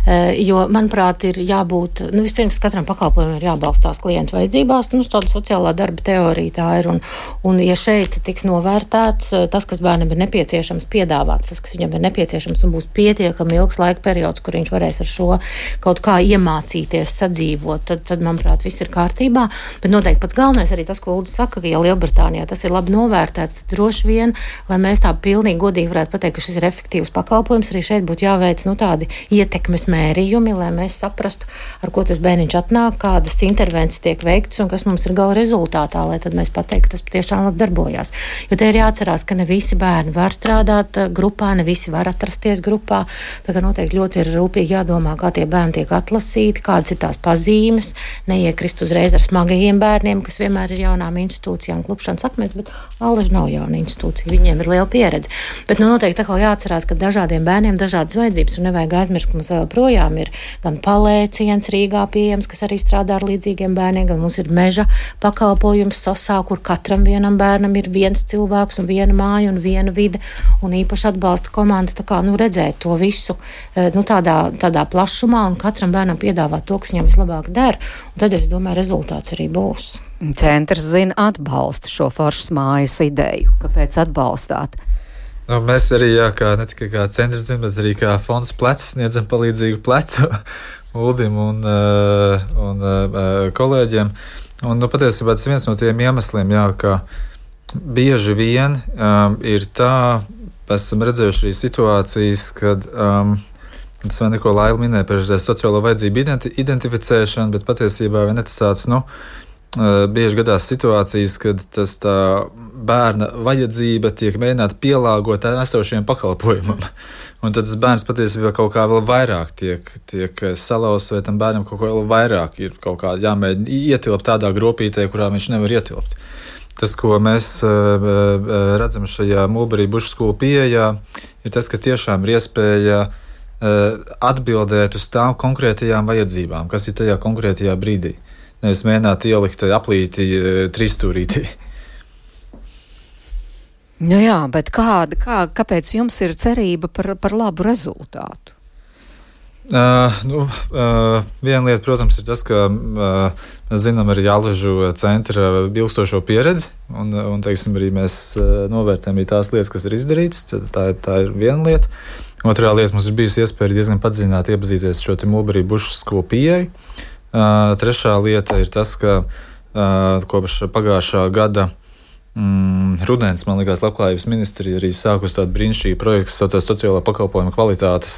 E, jo, manuprāt, ir jābūt, nu, vispirms katram pakalpojumam ir jābalstās klientu vajadzībās. Nu, tāda sociālā darba teorija tā ir. Un, un ja šeit tiks novērtēts tas, kas bērnam ir nepieciešams, piedāvāts, tas, kas viņam ir nepieciešams un būs pietiekami ilgs laika periods, kur viņš varēs ar šo kaut kā iemācīties sadzīvot, tad, tad, manuprāt, viss ir kārtībā. Bet noteikti pats galvenais arī tas, ko Uldis saka, ka ja Lielbritānijā tas ir labi novērtēts, tad droši vien, lai mēs tā pilnīgi godīgi varētu pateikt, ka šis ir efektīvs pakalpojums, arī šeit būtu jāveic nu, tādi ietekmes mērījumi, lai mēs saprastu, ar ko tas bērniņš atnāk, kādas intervences tiek veiktas un kas mums ir gala rezultātā, lai tad mēs pateiktu, ka tas patiešām labi darbojās. Jo te ir jāatcerās, ka ne visi bērni var strādāt grupā, ne visi var atrasties grupā, tā kā noteikti ļoti ir rūpīgi jādomā, kā tie bērni tiek atlasīti, kādas ir tās pazīmes, neiekrist uzreiz ar smagajiem bērniem, kas vienmēr ir jaunām institūcijām, klupšanas akmens, bet Allaž nav jauna institūcija, viņiem ir liela pieredze. Bet nu, noteikti tā kā jāatcerās, ka dažādiem bērniem dažādas vajadzības, un nevajag aizmirst, ka mums vēl projām ir gan palēciens Rīgā pieejams, kas arī strādā ar līdzīgiem bērniem, gan mums ir meža pakalpojums Sosā, kur katram vienam bērnam ir viens cilvēks un viena māja un viena vide, un īpaši atbalsta komanda, tā kā, nu, redzēt to visu, nu, tādā, tādā plašumā, un katram bērnam piedāvāt to, kas viņam vislabāk der, un tad, es domāju, rezultāts arī būs. Centrs zina atbalsta šo foršas mājas ideju. Kāpēc atbalstāt? Nu, mēs arī, jā, kā, ne tikai kā centrs zina, bet arī kā fonds plecs sniedzam palīdzīgu plecu Uldim un, un, un kolēģiem. Un, nu, patiesībā tas viens no tiem iemesliem, jā, ka bieži vien um, ir tā, mēs esam redzējuši arī situācijas, kad um, tas vēl neko Laila minēja par sociālo vajadzību identi- identificēšanu, bet patiesībā vien tas tāds, nu, bieži gadās situācijas, kad tas tā bērna vajadzība tiek mēģināta pielāgot esošiem pakalpojumam. Un tad tas bērns patiesībā kaut kā vēl vairāk tiek, tiek salauzts, vai tam bērnam kaut kā vēl vairāk ir kaut kā jāmēģina ietilpt tādā gropītē, kurā viņš nevar ietilpt. Tas, ko mēs uh, redzam šajā Mulberry Bush skolu pieejā, ir tas, ka tiešām ir iespēja uh, atbildēt uz tām konkrētajām vajadzībām, kas ir tajā konkrētajā brīdī. Nevis mēģināt ielikt aplīti uh, trīsstūrītī. Nu jā, bet kāda, kā, kāpēc jums ir cerība par, par labu rezultātu? Uh, nu, uh, viena lieta, protams, ir tas, ka uh, mēs zinām arī Allažu centra ilgstošo pieredzi, un, un teiksim, arī mēs uh, novērtējam arī tās lietas, kas ir izdarītas. Tā, tā ir viena lieta. Otrā lieta, mums ir bijusi iespēja diezgan padziļināti iepazīties šo te Mulberry Bush skolu pieeju. Uh, trešā lieta ir tas, ka uh, kopš pagājušā gada Mm, rudens, man liekas, Labklājības ministrija arī sākus tādu brīnišķīgu projektu, kas saucās sociālā pakalpojuma kvalitātes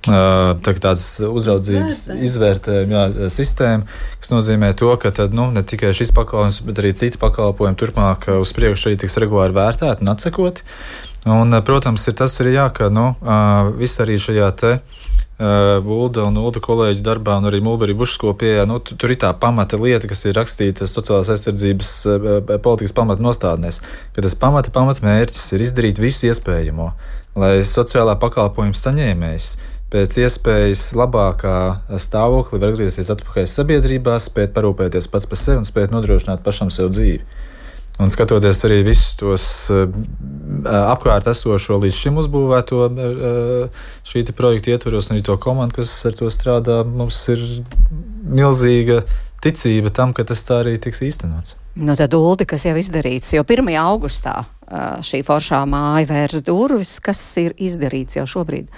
tā, tādas uzraudzības izvērtējuma jā, sistēma, kas nozīmē to, ka tad, nu, ne tikai šis pakalpojums, bet arī citi pakalpojumi turpmāk uz priekšu arī tiks regulāri vērtēti un atsekoti. Un, protams, ir tas arī jā, ka nu, viss arī šajā te Ulda un Ulda kolēģu darbā un arī Mulberry Bush skolu pieejā, nu, tur ir tā pamata lieta, kas ir rakstīta sociālās aizsardzības politikas pamata nostādnēs, ka tas pamata pamata mērķis ir izdarīt visu iespējamo, lai sociālā pakalpojuma saņēmējs pēc iespējas labākā stāvoklī var atgriezties atpakaļ sabiedrībā, spēt parūpēties pats par sevi un spēt nodrošināt pašam sev dzīvi. Un skatoties arī visus tos uh, apkārt esošo līdz šim uzbūvēto uh, šī projekta ietvaros un arī to komandu, kas ar to strādā, mums ir milzīga ticība tam, ka tas tā arī tiks īstenots. Nu tad, Uldi, kas jau izdarīts, jo pirmajā augustā uh, šī foršā māja vērs durvis, kas ir izdarīts jau šobrīd?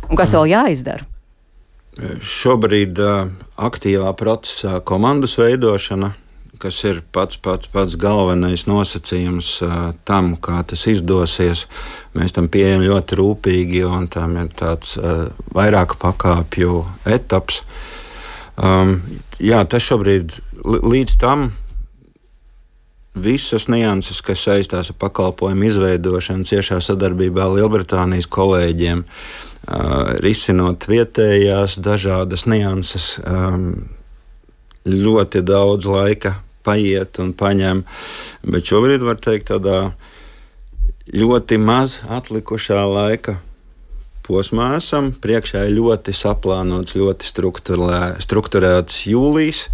Un kas vēl jāizdara? Šobrīd uh, aktīvā procesā komandas veidošana, kas ir pats, pats, pats galvenais nosacījums uh, tam, kā tas izdosies. Mēs tam pieejam ļoti rūpīgi, un tam ir tāds uh, vairāku pakāpju etaps. Um, jā, tas šobrīd līdz tam visas nianses, kas saistās ar pakalpojumu izveidošanu, ciešā sadarbībā ar Lielbritānijas kolēģiem, uh, risinot vietējās dažādas nianses, um, ļoti daudz laika paiet un paņem, bet šobrīd var teikt tādā ļoti maz atlikušā laika posmā esam. Priekšā ir ļoti saplānots, ļoti strukturēts jūlijs.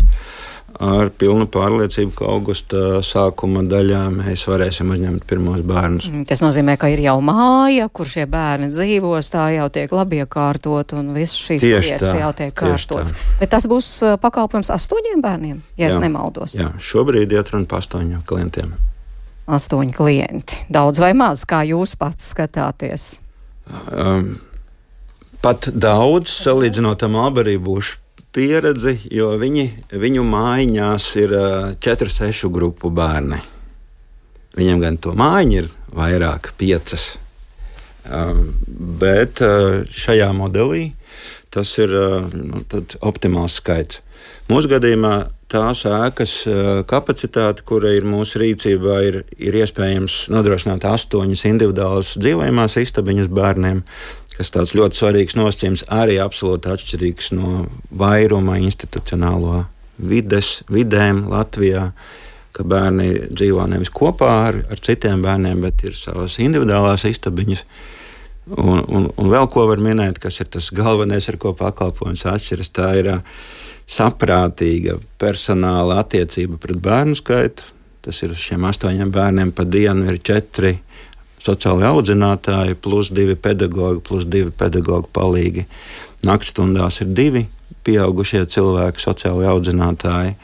Ar pilnu pārliecību, ka augusta sākuma daļā mēs varēsim uzņemt pirmos bērnus. Tas nozīmē, ka ir jau māja, kur šie bērni dzīvos, tā jau tiek labi iekārtot un viss šīs lietas jau tiek kārtots. Bet tas būs pakalpojums astoņiem bērniem, ja jā, es nemaldos. Jā, šobrīd iet runa par astoņiem klientiem. Astoņi klienti. Daudz vai maz, kā jūs pats skatāties? Um, pat daudz, salīdzinot ar Marlboro būšu pieredzi, jo viņi, viņu mājiņās ir četru, sešu grupu bērni. Viņiem gan to mājiņu ir vairāk, piecas. Bet šajā modelī tas ir nu, optimāls skaits. Mūsu gadījumā tās ēkas kapacitāte, kura ir mūsu rīcībā, ir, ir iespējams nodrošināt astoņas individuālas dzīvojamās istabiņas bērniem, kas tāds ļoti svarīgs nosacījums, arī absolūti atšķirīgs no vairuma institucionālo vides, vidēm Latvijā, ka bērni dzīvo nevis kopā ar, ar citiem bērniem, bet ir savas individuālās istabiņas. Un, un, un vēl ko var minēt, kas ir tas galvenais, ar ko pakalpojums atšķiras, tā ir saprātīga personāla attiecība pret bērnu skaitu. Tas ir uz šiem astoņiem bērniem pa dienu ir četri sociāli audzinātāji, plus divi pedagogi, plus divi pedagogu palīgi. Naktstundās ir divi pieaugušie cilvēki, sociāli audzinātāji.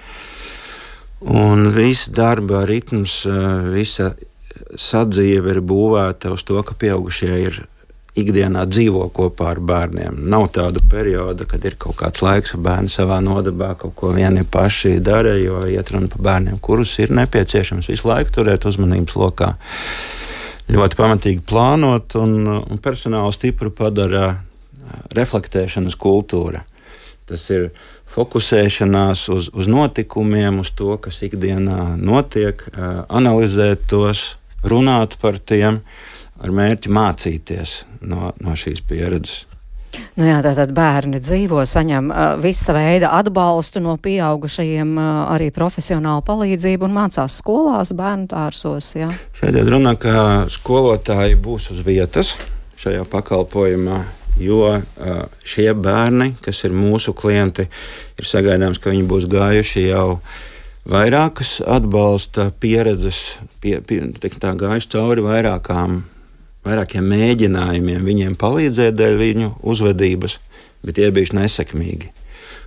Un viss darba ritms, visa sadzīve ir būvēta uz to, ka pieaugušie ir ikdienā dzīvo kopā ar bērniem. Nav tāda perioda, kad ir kaut kāds laiks, ka bērni savā nodarbā kaut ko vieni paši dara, jo iet runa par bērniem, kurus ir nepieciešams visu laiku turēt uzmanības lokā. Ļoti pamatīgi plānot, un, un personālu stipru padara reflektēšanas kultūra. Tas ir fokusēšanās uz, uz notikumiem, uz to, kas ikdienā notiek, analizēt tos, runāt par tiem, ar mērķi mācīties no, no šīs pieredzes. Nu jā, tātad bērni dzīvo, saņem uh, visa veida atbalstu no pieaugušajiem, uh, arī profesionālu palīdzību un mācās skolās, bērnu dārzos. Ja? Šeit ir runa, ka skolotāji būs uz vietas šajā pakalpojumā, jo uh, šie bērni, kas ir mūsu klienti, ir sagaidāms, ka viņi būs gājuši jau vairākas atbalsta pieredzes, pie, pie, tā gājuši cauri vairākām vairākiem mēģinājumiem viņiem palīdzēt dēļ viņu uzvedības, bet tie bijuši nesekmīgi.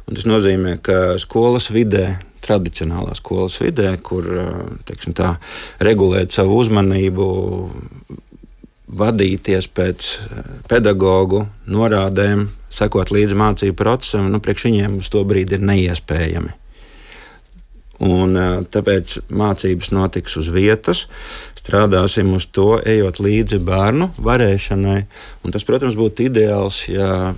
Un tas nozīmē, ka skolas vidē, tradicionālā skolas vidē, kur teiksim tā, regulēt savu uzmanību, vadīties pēc pedagogu norādēm, sekot līdzi mācību procesam, nu, priekš viņiem uz to brīdi ir neiespējami. Un tāpēc mācības notiks uz vietas, strādāsim uz to, ejot līdzi bērnu varēšanai. Un tas, protams, būtu ideāls, ja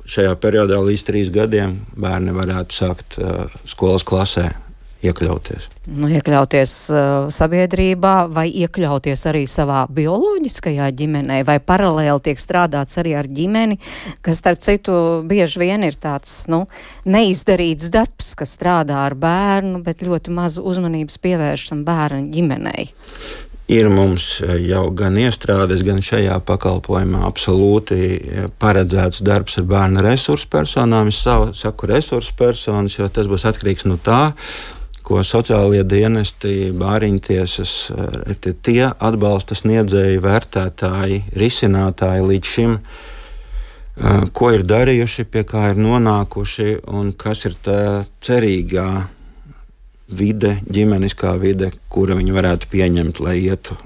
šajā periodā līdz trīs gadiem bērni varētu sākt uh, skolas klasē iekļauties. Nu, iekļauties uh, sabiedrībā vai iekļauties arī savā bioloģiskajā ģimenē, vai paralēli tiek strādāts arī ar ģimeni, kas, starp citu, bieži vien ir tāds, nu, neizdarīts darbs, kas strādā ar bērnu, bet ļoti maz uzmanības pievēršam bērnu ģimenei. Ir mums jau gan iestrādes, gan šajā pakalpojumā absolūti paredzēts darbs ar bērnu resursu personām. Es saku resursu personas, jo tas būs atkarīgs no tā, ko sociālie dienesti, bāriņtiesas, ir tie atbalsta sniedzēji, vērtētāji, risinātāji līdz šim, ko ir darījuši, pie kā ir nonākuši un kas ir tā cerīgā vide, ģimeniskā vide, kura viņi varētu pieņemt, lai ietu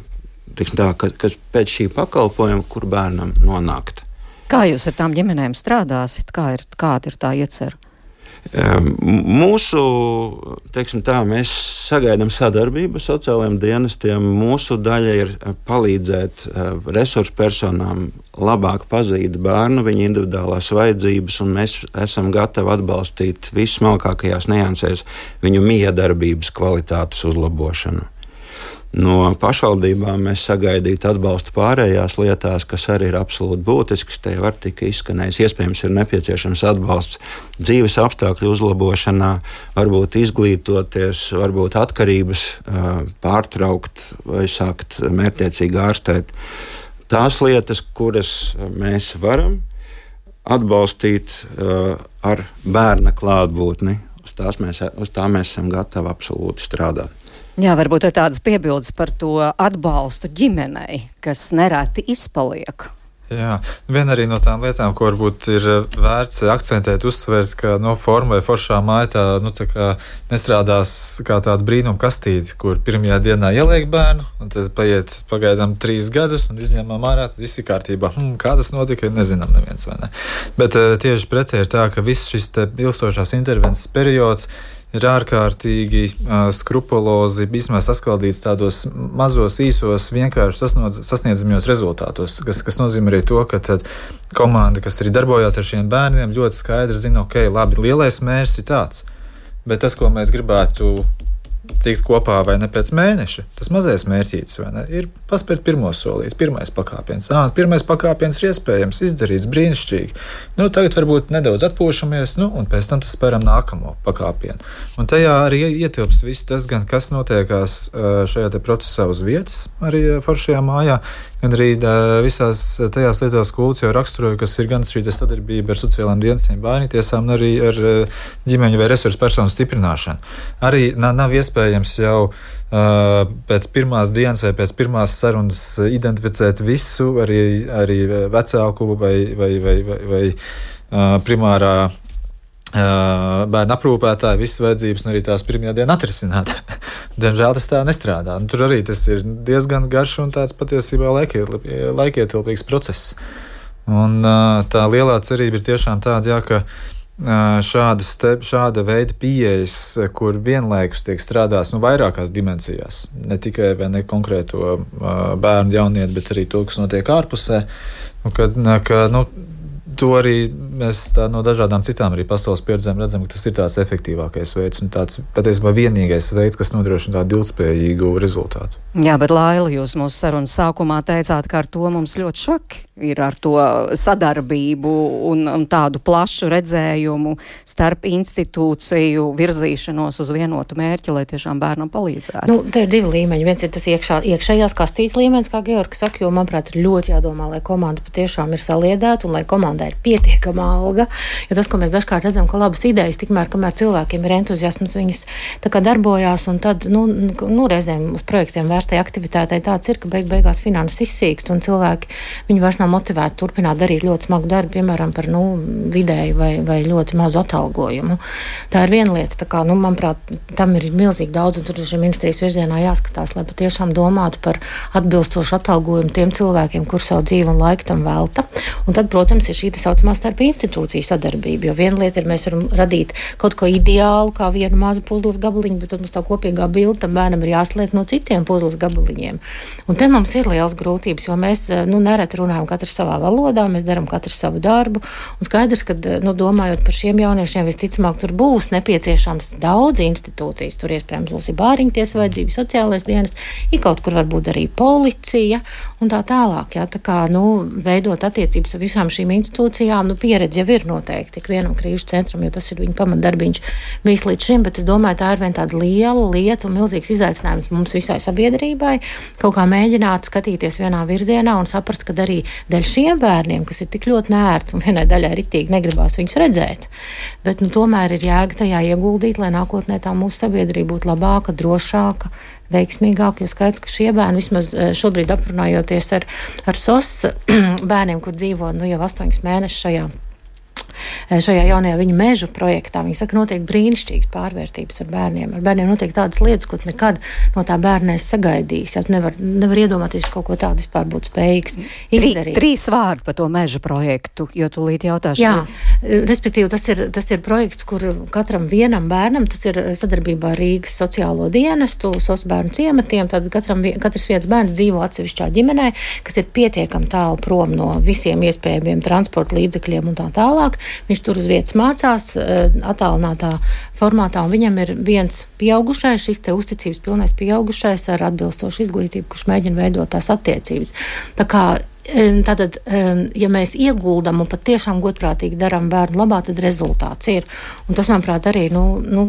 tā, kas pēc šī pakalpojuma, kur bērnam nonākt. Kā jūs ar tām ģimenēm strādāsit? Kā ir, kāda ir tā iecer? Mūsu, teiksim tā, mēs sagaidām sadarbību ar sociālajiem dienestiem. Mūsu daļa ir palīdzēt resursu personām labāk pazīt bērnu, viņa individuālās vajadzības, un mēs esam gatavi atbalstīt vissmalkākajās niansēs viņu miedarbības kvalitātes uzlabošanu. No pašvaldībām mēs sagaidītu atbalstu pārējās lietās, kas arī ir absolūti būtisks. Te var tika izskanējis, iespējams, ir nepieciešams atbalsts dzīves apstākļu uzlabošanā, varbūt izglītoties, varbūt atkarības pārtraukt vai sākt mērķtiecīgi ārstēt. tās lietas, kuras mēs varam atbalstīt uh, ar bērna klātbūtni, uz, tās mēs, uz tā mēs esam gatavi absolūti strādāt. Jā, varbūt ir tādas piebildes par to atbalstu ģimenei, kas nereti izpaliek. Jā, viena arī no tām lietām, ko varbūt ir vērts akcentēt, uzsvērt, ka no forma vai foršā māja tā, nu, tā kā nestrādās kā tāda brīnuma kastīte, kur pirmajā dienā ieliek bērnu, un tad paiet pagaidām trīs gadus, un izņemam ārā, tad viss ir kārtībā. Hm, kā tas notika, nezinām neviens vai ne. Bet tieši pretēji ir tā, ka viss šis te ilgstošās intervences periods ir ārkārtīgi uh, skrupulozi, vismaz saskaldīts tādos mazos, īsos, vienkārši sasniedzamajos rezultātos, kas, kas nozīmē arī to, ka tad komanda, kas arī darbojās ar šiem bērniem, ļoti skaidri zina, ok, labi, lielais mērķis ir tāds, bet tas, ko mēs gribētu tikt kopā vai ne pēc mēneša, tas mazais mērķītis, vai ne, ir paspērt pirmo solīt, pirmais pakāpiens. Ā, pirmais pakāpiens ir iespējams izdarīts brīnišķīgi. Nu, tagad varbūt nedaudz atpūšamies, nu, un pēc tam tas spēram nākamo pakāpienu. Un tajā arī ietilpst viss tas, gan kas notiekās šajā te procesā uz vietas, arī foršajā mājā, gan arī visās tajās lietās, ko Ulds jau raksturoja, kas ir gan šī sadarbība ar sociālām dienestiem, bērnu tiesām, un arī ar ģimeņu vai resursu personu stiprināšanu. Arī nav iespējams jau uh, pēc pirmās dienas vai pēc pirmās sarunas identificēt visu, arī, arī vecāku vai, vai, vai, vai, vai uh, primārā bērnu aprūpētāji, visas vajadzības un arī tās pirmajā dienā atrisināt. Diemžēl tas tā nestrādā. Un tur arī tas ir diezgan garš un tāds patiesībā laikietilpīgs process. Un tā lielā cerība ir tiešām tāda, jā, ka šādas te, šāda veida pieejas, kur vienlaikus tiek strādās nu, vairākās dimensijās, ne tikai vai ne konkrēto bērnu jaunieti, bet arī to, kas notiek ārpusē, un kad, ka, nu, to arī mēs tā, no dažādām citām arī pasaules pieredzēm redzam, ka tas ir tāds efektīvākais veids un tāds patiesībā vienīgais veids, kas nodrošina tādu ilgspējīgu rezultātu. Jā, bet Laila, jūs mūsu sarunas sākumā teicāt, ka ar to mums ļoti švaki ir ar to sadarbību un, un tādu plašu redzējumu starp institūciju virzīšanos uz vienotu mērķi, lai tiešām bērnam palīdzētu. Nu, te ir divi līmeņi. Viens ir tas iekšā, iekšējās kastītes līmenis, kā Georgs saka, jo, manuprāt, ir ļoti jādomā, lai komanda patiešām ir saliedēta un lai komandai ir pietiekama alga. Jo tas, ko mēs dažkārt redzam, ka labas idejas, tikmēr, kamēr cilvēkiem ir entuziasms, viņas tā kā darbojās un tad, nu, nu reizēm uz projektiem vērstai aktivitātei tāds ir, ka beig beigās finanses izsīkst un cilvēki, viņi vairs nav motivēti turpināt darīt ļoti smagu darbu, piemēram, par, nu, vidēju vai, vai ļoti mazu atalgojumu. Tā ir viena lieta, tā kā, nu, manuprāt, tam ir milzīgi daudz un tur šī ministrijas virzienā jāskatās, lai patiešām domātu par atbilstošu atalgojumu tiem cilvēkiem, kur savu dzīvi un laiku tam velta. Un tad, protams, ir šī tā saucamā starp institūciju sadarbība, jo viena lieta ir, mēs varam radīt kaut ko ideālu, kā vienu mazu puzles gabaliņu, bet tad mums tā kopīgā bilde tam bērnam ir jāsliek no citiem puzles gabaliņiem. Un te mums ir liels grūtības, jo mēs, nu, nereti runājam katrs savā valodā, mēs darām katrs savu darbu, un skaidrs, ka, nu, domājot par šiem jauniešiem, visticamāk, tur būs nepieciešams daudz institūcijas, tur iespējams būs ir bāriņties vajadzības, sociālais dienas, ir kaut kur varbūt arī policija un tā tālāk, jā, tā kā, nu, veidot attiecības ar visām šīm institūcijām, nu, pieredze jau ir noteikti tik vienam krīžu centram, jo tas ir viņa pamatdarbiņš bijis līdz šim, bet es domāju, tā ir vien tāda liela lieta un milzīgs izaicinājums mums visai sabiedrībai, kaut kā mēģināt skatīties vienā virzienā un saprast, ka arī dēļ šiem bērniem, kas ir tik ļoti nērti un vienai daļai ritīgi negribās viņus redzēt, bet, nu, tomēr ir jēga tajā ieguldīt, lai nākotnē tā mūsu sabiedrība būtu labāka, drošāka, veiksmīgāk, jo skaidrs, ka šie bērni, vismaz šobrīd aprunājoties ar, ar S O S bērniem, kur dzīvo, nu, jau astoņus mēnešus šajā šajā jaunajā viņa mežu projektā. Viņi saka, notiek brīnišķīgas pārvērtības ar bērniem. Ar bērniem notiek tādas lietas, ko tu nekad no tā bērna esi sagaiījis. Ja tu nevar, nevar iedomāties, kaut ko tādu vispār būt spējīgs izdarīt. Trīs vārdi par to mežu projektu, jo tu līdz jautāšu. Jā, respektīvi, tas ir, tas ir projekts, kur katram vienam bērnam, tas ir sadarbībā ar Rīgas sociālo dienestu, S O S bērnu ciematiem, tad katram, katrs viens bērns dzīvo atsevišķā ģimenē, kas ir pietiekami tālu prom no visiem iespējamiem transporta līdzekļiem un tā tālāk. Viņš tur uz vietas mācās attālinātā formātā, un viņam ir viens pieaugušais, šis te uzticības pilnais pieaugušais ar atbilstošu izglītību, kurš mēģina veidot tās attiecības. Tā kā Tātad, ja mēs ieguldam un pat tiešām godprātīgi darām bērnu labā, tad rezultāts ir. Un tas, manuprāt, arī, nu, nu,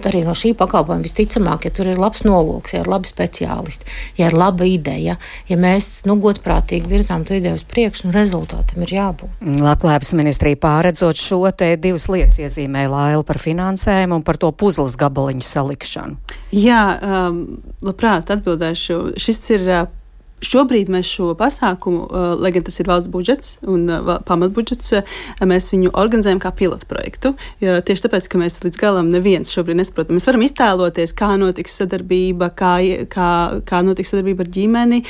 arī no šī pakalpojuma visticamāk, ja tur ir labs nolūks, ja ir labi speciālisti, ja ir laba ideja, ja mēs nu, godprātīgi virzām to ideju uz priekšu, nu, rezultātam ir jābūt. Labklājības ministrija pārredzot šo te divas lietas iezīmē Laila par finansēm un par to puzles gabaliņu salikšanu. Jā, um, labprāt atbildēšu. Šis ir uh, Šobrīd mēs šo pasākumu, lai gan tas ir valsts budžets un pamatbudžets, mēs viņu organizējam kā pilotu projektu. Tieši tāpēc, ka mēs līdz galam neviens šobrīd nesaprotam. Mēs varam iztēloties, kā notiks sadarbība, kā, kā, kā notiks sadarbība ar ģimeni,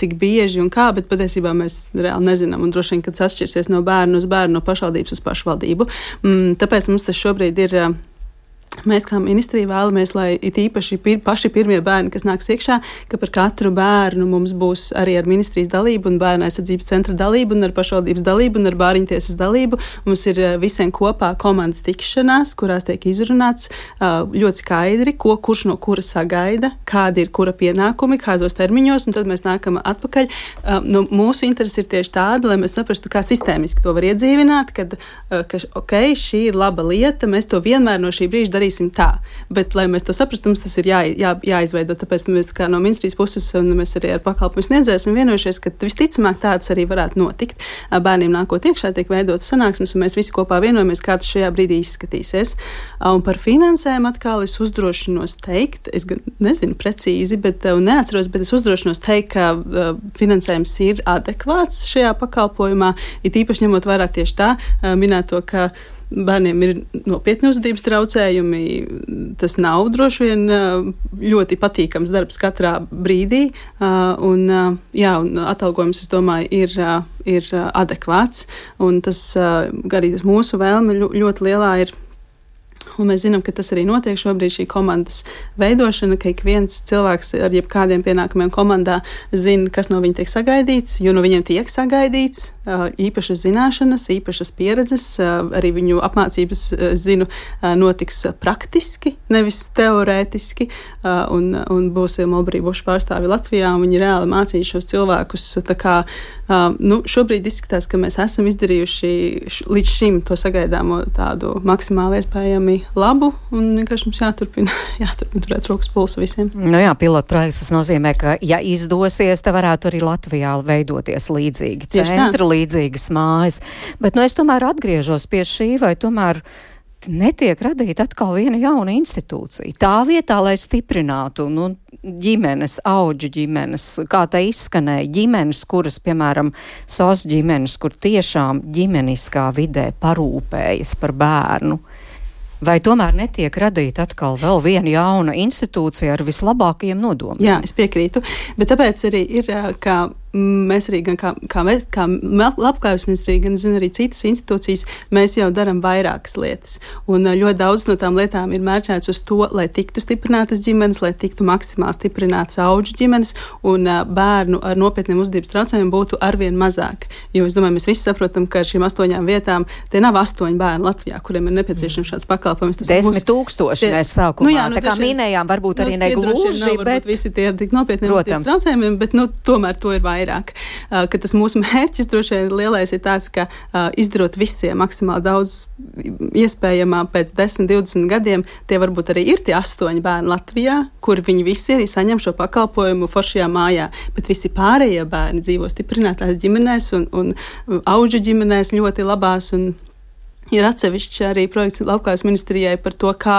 cik bieži un kā, bet patiesībā mēs reāli nezinām. Un droši vien, kad tas atšķirsies no bērnu uz bērnu, no pašvaldības uz pašvaldību. Tāpēc mums tas šobrīd ir. Mēs kā ministrija vēlamies, lai it īpaši pir, paši pirmie bērni, kas nāks iekšā, ka par katru bērnu mums būs arī ar ministrijas dalību un bērnu aizsardzības centra dalību un ar pašvaldības dalību un ar bāriņtiesas dalību. Mums ir visiem kopā komandas tikšanās, kurās tiek izrunāts ļoti skaidri, ko kurš no kura sagaida, kādi ir kura pienākumi, kādos termiņos, un tad mēs nākam atpakaļ. Nu, mūsu interesi ir tieši tāda, lai mēs saprastu, kā sistēmiski to var iedzīvināt, kad, ka, ok, šī ir laba lieta, mēs to vienmēr no šī brīža darīsim tā, bet, lai mēs to saprastu, mums tas ir jā, jā, jāizveido, tāpēc mēs kā no ministrijas puses un mēs arī ar pakalpojumu sniedzēju esam vienojušies, ka visticamāk tāds arī varētu notikt. Bērniem nākot iekšā tiek veidotas sanāksmes, un mēs visi kopā vienojamies, kā tas šajā brīdī izskatīsies. Un par finansēm atkal es uzdrošinos teikt, es nezinu precīzi, bet neatceros, bet es uzdrošinos teikt, ka finansējums ir adekvāts šajā pakalpojumā, it īpaši ņemot vērā tieši tā minēto, ka bērniem ir nopietni uzvedības traucējumi. Tas nav droši vien ļoti patīkams darbs katrā brīdī. Un, jā, un atalgojums, es domāju, ir, ir adekvāts. Un tas arī tas mūsu vēlme ļoti lielā ir. Un mēs zinām, ka tas arī notiek šobrīd šī komandas veidošana, ka ik viens cilvēks ar jebkādiem pienākumiem komandā zina, kas no viņa tiek sagaidīts, jo no viņiem tiek sagaidīts īpašas zināšanas, īpašas pieredzes, arī viņu apmācības, zinu, notiks praktiski, nevis teorētiski, un, un būs Mulberry Bush pārstāvi Latvijā, un viņi reāli mācīs šos cilvēkus. Tā kā, nu, šobrīd izskatās, ka mēs esam izdarījuši līdz šim to sagaidāmo tādu maksimāli iespējami labu, un vienkārši mums jāturpina, jāturpina turēt rokas pulsu visiem. Nu jā, pilotprojekts tas nozīmē, ka, ja izdosies, te varētu arī Latvijā veidoties līdzīgi centri, līdzīgas mājas. Bet, nu, es tomēr atgriežos pie šī, vai tomēr netiek radīta atkal viena jauna institūcija. Tā vietā, lai stiprinātu, nu, ģimenes, auģu ģimenes, kā tā izskanēja, ģimenes, kuras, piemēram, S O S ģimenes, kur tiešām ģimeniskā vidē parūpējas par bērnu. Vai tomēr netiek radīta atkal vēl viena jauna institūcija ar vislabākajiem nodomiem? Jā, es piekrītu, bet tāpēc arī ir, ka mēs arī, gan kā, kā, mēs, kā Labklājības ministrija, gan zinu arī citas institūcijas, mēs jau darām vairākas lietas. Un ļoti daudz no tām lietām ir mērķēts uz to, lai tiktu stiprinātas ģimenes, lai tiktu maksimāli stiprinātas auģu ģimenes un bērnu ar nopietniem uzvedības traucējumiem būtu arvien mazāk. Jo es domāju, mēs visi saprotam, ka ar šīm astoņām vietām tie nav astoņi bērni Latvijā, kuriem ir nepieciešams šāds pakalpojums. Desmit mūs... tūkstoši tie... mēs sākumā. Nu jā, nu, tā kā minējām, varbūt arī nu, negluži, bet... Visi tie ir tik nopietniem uzvedības traucējumiem, bet nu, tomēr to ir vairāk. Vairāk. Uh, ka tas mūsu mērķis droši vien lielais ir tāds, ka uh, izdarot visiem maksimāli daudz iespējamā pēc desmit, divdesmit gadiem, tie varbūt arī ir tie astoņi bērni Latvijā, kur viņi visi arī saņem šo pakalpojumu foršajā mājā, bet visi pārējie bērni dzīvo stiprinātās ģimenēs un, un auģu ģimenēs ļoti labās un ir atsevišķi arī projekts Labklājības ministrijai par to, kā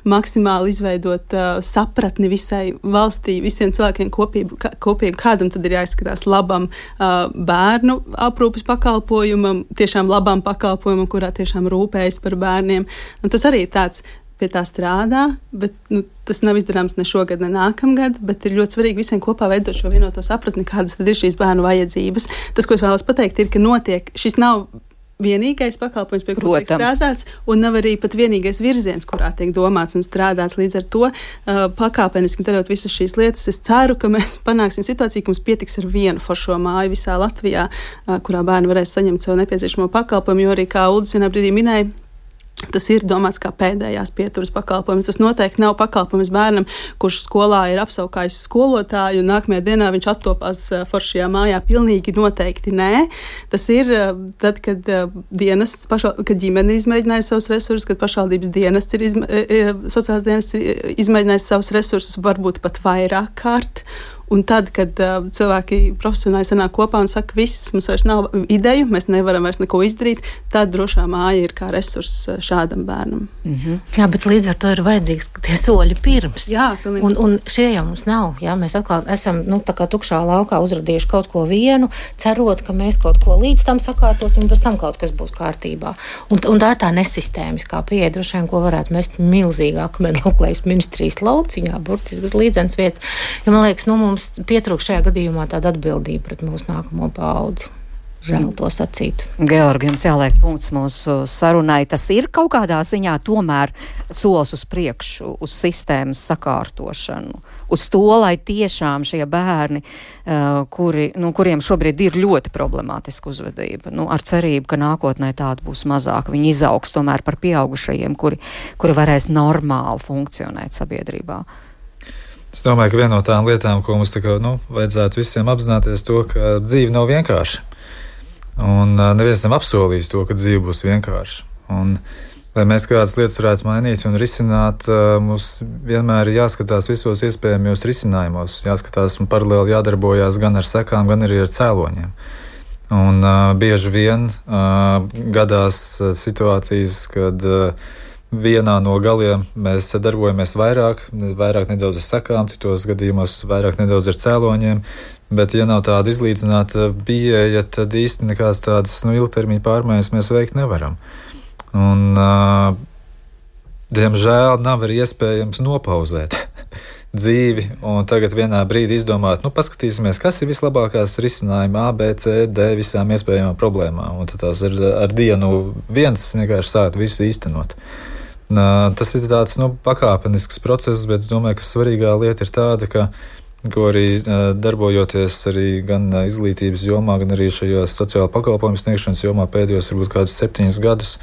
maksimāli izveidot uh, sapratni visai valstī, visiem cilvēkiem kopību, kā, kopīgi, kādam tad ir jāizskatās labam uh, bērnu aprūpes pakalpojumam, tiešām labam pakalpojumam, kurā tiešām rūpējas par bērniem. Un tas arī ir tāds, pie tā strādā, bet nu, tas nav izdarāms ne šogad, ne nākamgad, bet ir ļoti svarīgi visiem kopā veidot šo vienoto sapratni, kādas tad ir šīs bērnu vajadzības. Tas, ko es vēlos pateikt, ir, ka notiek, šis nav vienīgais pakalpojums, pie kura tiek strādāts, un nav arī pat vienīgais virziens, kurā tiek domāts un strādāts. Līdz ar to uh, pakāpeniski darot visas šīs lietas, es ceru, ka mēs panāksim situāciju, ka mums pietiks ar vienu foršo māju visā Latvijā, uh, kurā bērni varēs saņemt savu nepieciešamo pakalpojumu, jo arī, kā Uldis vienā brīdī minēja, Tas ir domāts kā pēdējās pieturas pakalpojums. Tas noteikti nav pakalpojums bērnam, kurš skolā ir apsaukājis skolotāju, un nākamajā dienā viņš attopās foršajā mājā. Pilnīgi noteikti nē. Tas ir tad, kad dienests, pašā, kad ģimene ir izmēģinājusi savus resursus, kad pašvaldības dienests ir, izmē, sociālās dienests ir izmēģinājis savus resursus, varbūt pat vairāk kārt. Un tad, kad uh, cilvēki profesionāli sanāk kopā un saka, viss, mums vairs nav ideju, mēs nevaram vairs neko izdarīt, tad drošā māja ir kā resurss šādam bērnam. Mm-hmm. Jā, bet līdz ar to ir vajadzīgs tie soļi pirms. Jā, pilnīgi. Un, un šie jau mums nav. Jā, mēs atkal esam, nu, tā kā tukšā laukā uzradījuši kaut ko vienu, cerot, ka mēs kaut ko līdz tam sakārtosim, un pēc tam kaut kas būs kārtībā. Un, un tā ir tā nesistēmiskā pieeja, droši vien, ko varētu mest milzīgā akmeni Auklējības ministrijas lauciņā, burtiski uz līdzenas vietas. Jo, man liekas, nu, mums pietrūkst šajā gadījumā tāda atbildība pret mūsu nākamo paudzi. Žēl to sacīt. Georgi, jums jāliek punkts mūsu sarunai. Tas ir kaut kādā ziņā tomēr solis uz priekšu, uz sistēmas sakārtošanu, uz to, lai tiešām šie bērni, uh, kuri, nu, kuriem šobrīd ir ļoti problemātiska uzvedība, nu, ar cerību, ka nākotnē tāda būs mazāk, viņi izaugs tomēr par pieaugušajiem, kuri, kuri varēs normāli funkcionēt sabiedrībā. Es domāju, ka viena no tām lietām, ko mums tā kā, nu, vajadzētu visiem apzināties, to, ka dzīve nav vienkārša. Un uh, neviens nav apsolījis to, ka dzīve būs vienkārša. Un, lai mēs kādas lietas varētu mainīt un risināt, uh, mums vienmēr ir jāskatās visos iespējamajos risinājumos. Jāskatās un paralēli jādarbojās gan ar sekām, gan arī ar cēloņiem. Un uh, bieži vien uh, gadās uh, situācijas, kad uh, vienā no galiem mēs darbojamies vairāk, vairāk nedaudz ar sekām, citos gadījumos vairāk nedaudz ar cēloņiem, bet ja nav tāda izlīdzināta pieeja, tad īsti nekādas tādas nu, ilgtermiņa pārmaiņas mēs veikt nevaram. Un, uh, diemžēl, nav arī iespējams nopauzēt dzīvi un tagad vienā brīdī izdomāt, nu, paskatīsimies, kas ir vislabākās risinājumi A, B, C, D visām iespējamām problēmām. Un tad tās ar, ar dienu viens vienkārši sākt visu īstenot. Tas ir tāds nu, pakāpenisks process, bet es domāju, ka svarīgā lieta ir tāda, ka, ko arī darbojoties arī gan izglītības jomā, gan arī šajos sociāla pakalpojumu sniegšanas jomā pēdējos varbūt kādus septiņus gadus,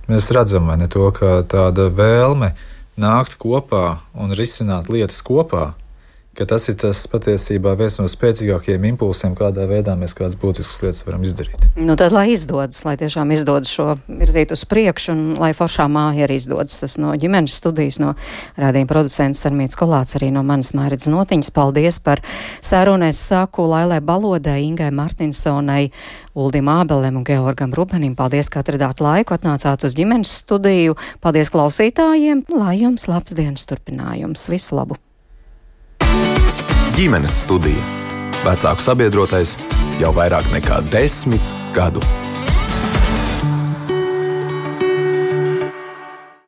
mēs redzam, vai ne to, ka tāda vēlme nākt kopā un risināt lietas kopā, ka tas ir tas patiesībā viens no spēcīgākajiem impulsiem, kādā veidā mēs kādas būtiskas lietas varam izdarīt. Nu tad, lai izdodas, lai tiešām izdodas šo virzīt uz priekšu un lai foršā māja arī izdodas. Tas no ģimenes studijas, no rādījuma producents Sarmītas Kolāts, arī no manas Mairītas Notiņas. Paldies par sarunu. Es saku Lailai Balodai, Ingai Martinsonai, Uldim Ābelim un Georgam Rubenim. Paldies, ka atradāt laiku, atnācāt uz ģimenes studiju. Paldies klausītājiem. Lai jums labs dienas turpinājums. Visu labu! Ģimenes studija. Vecāku sabiedrotais jau vairāk nekā desmit gadu.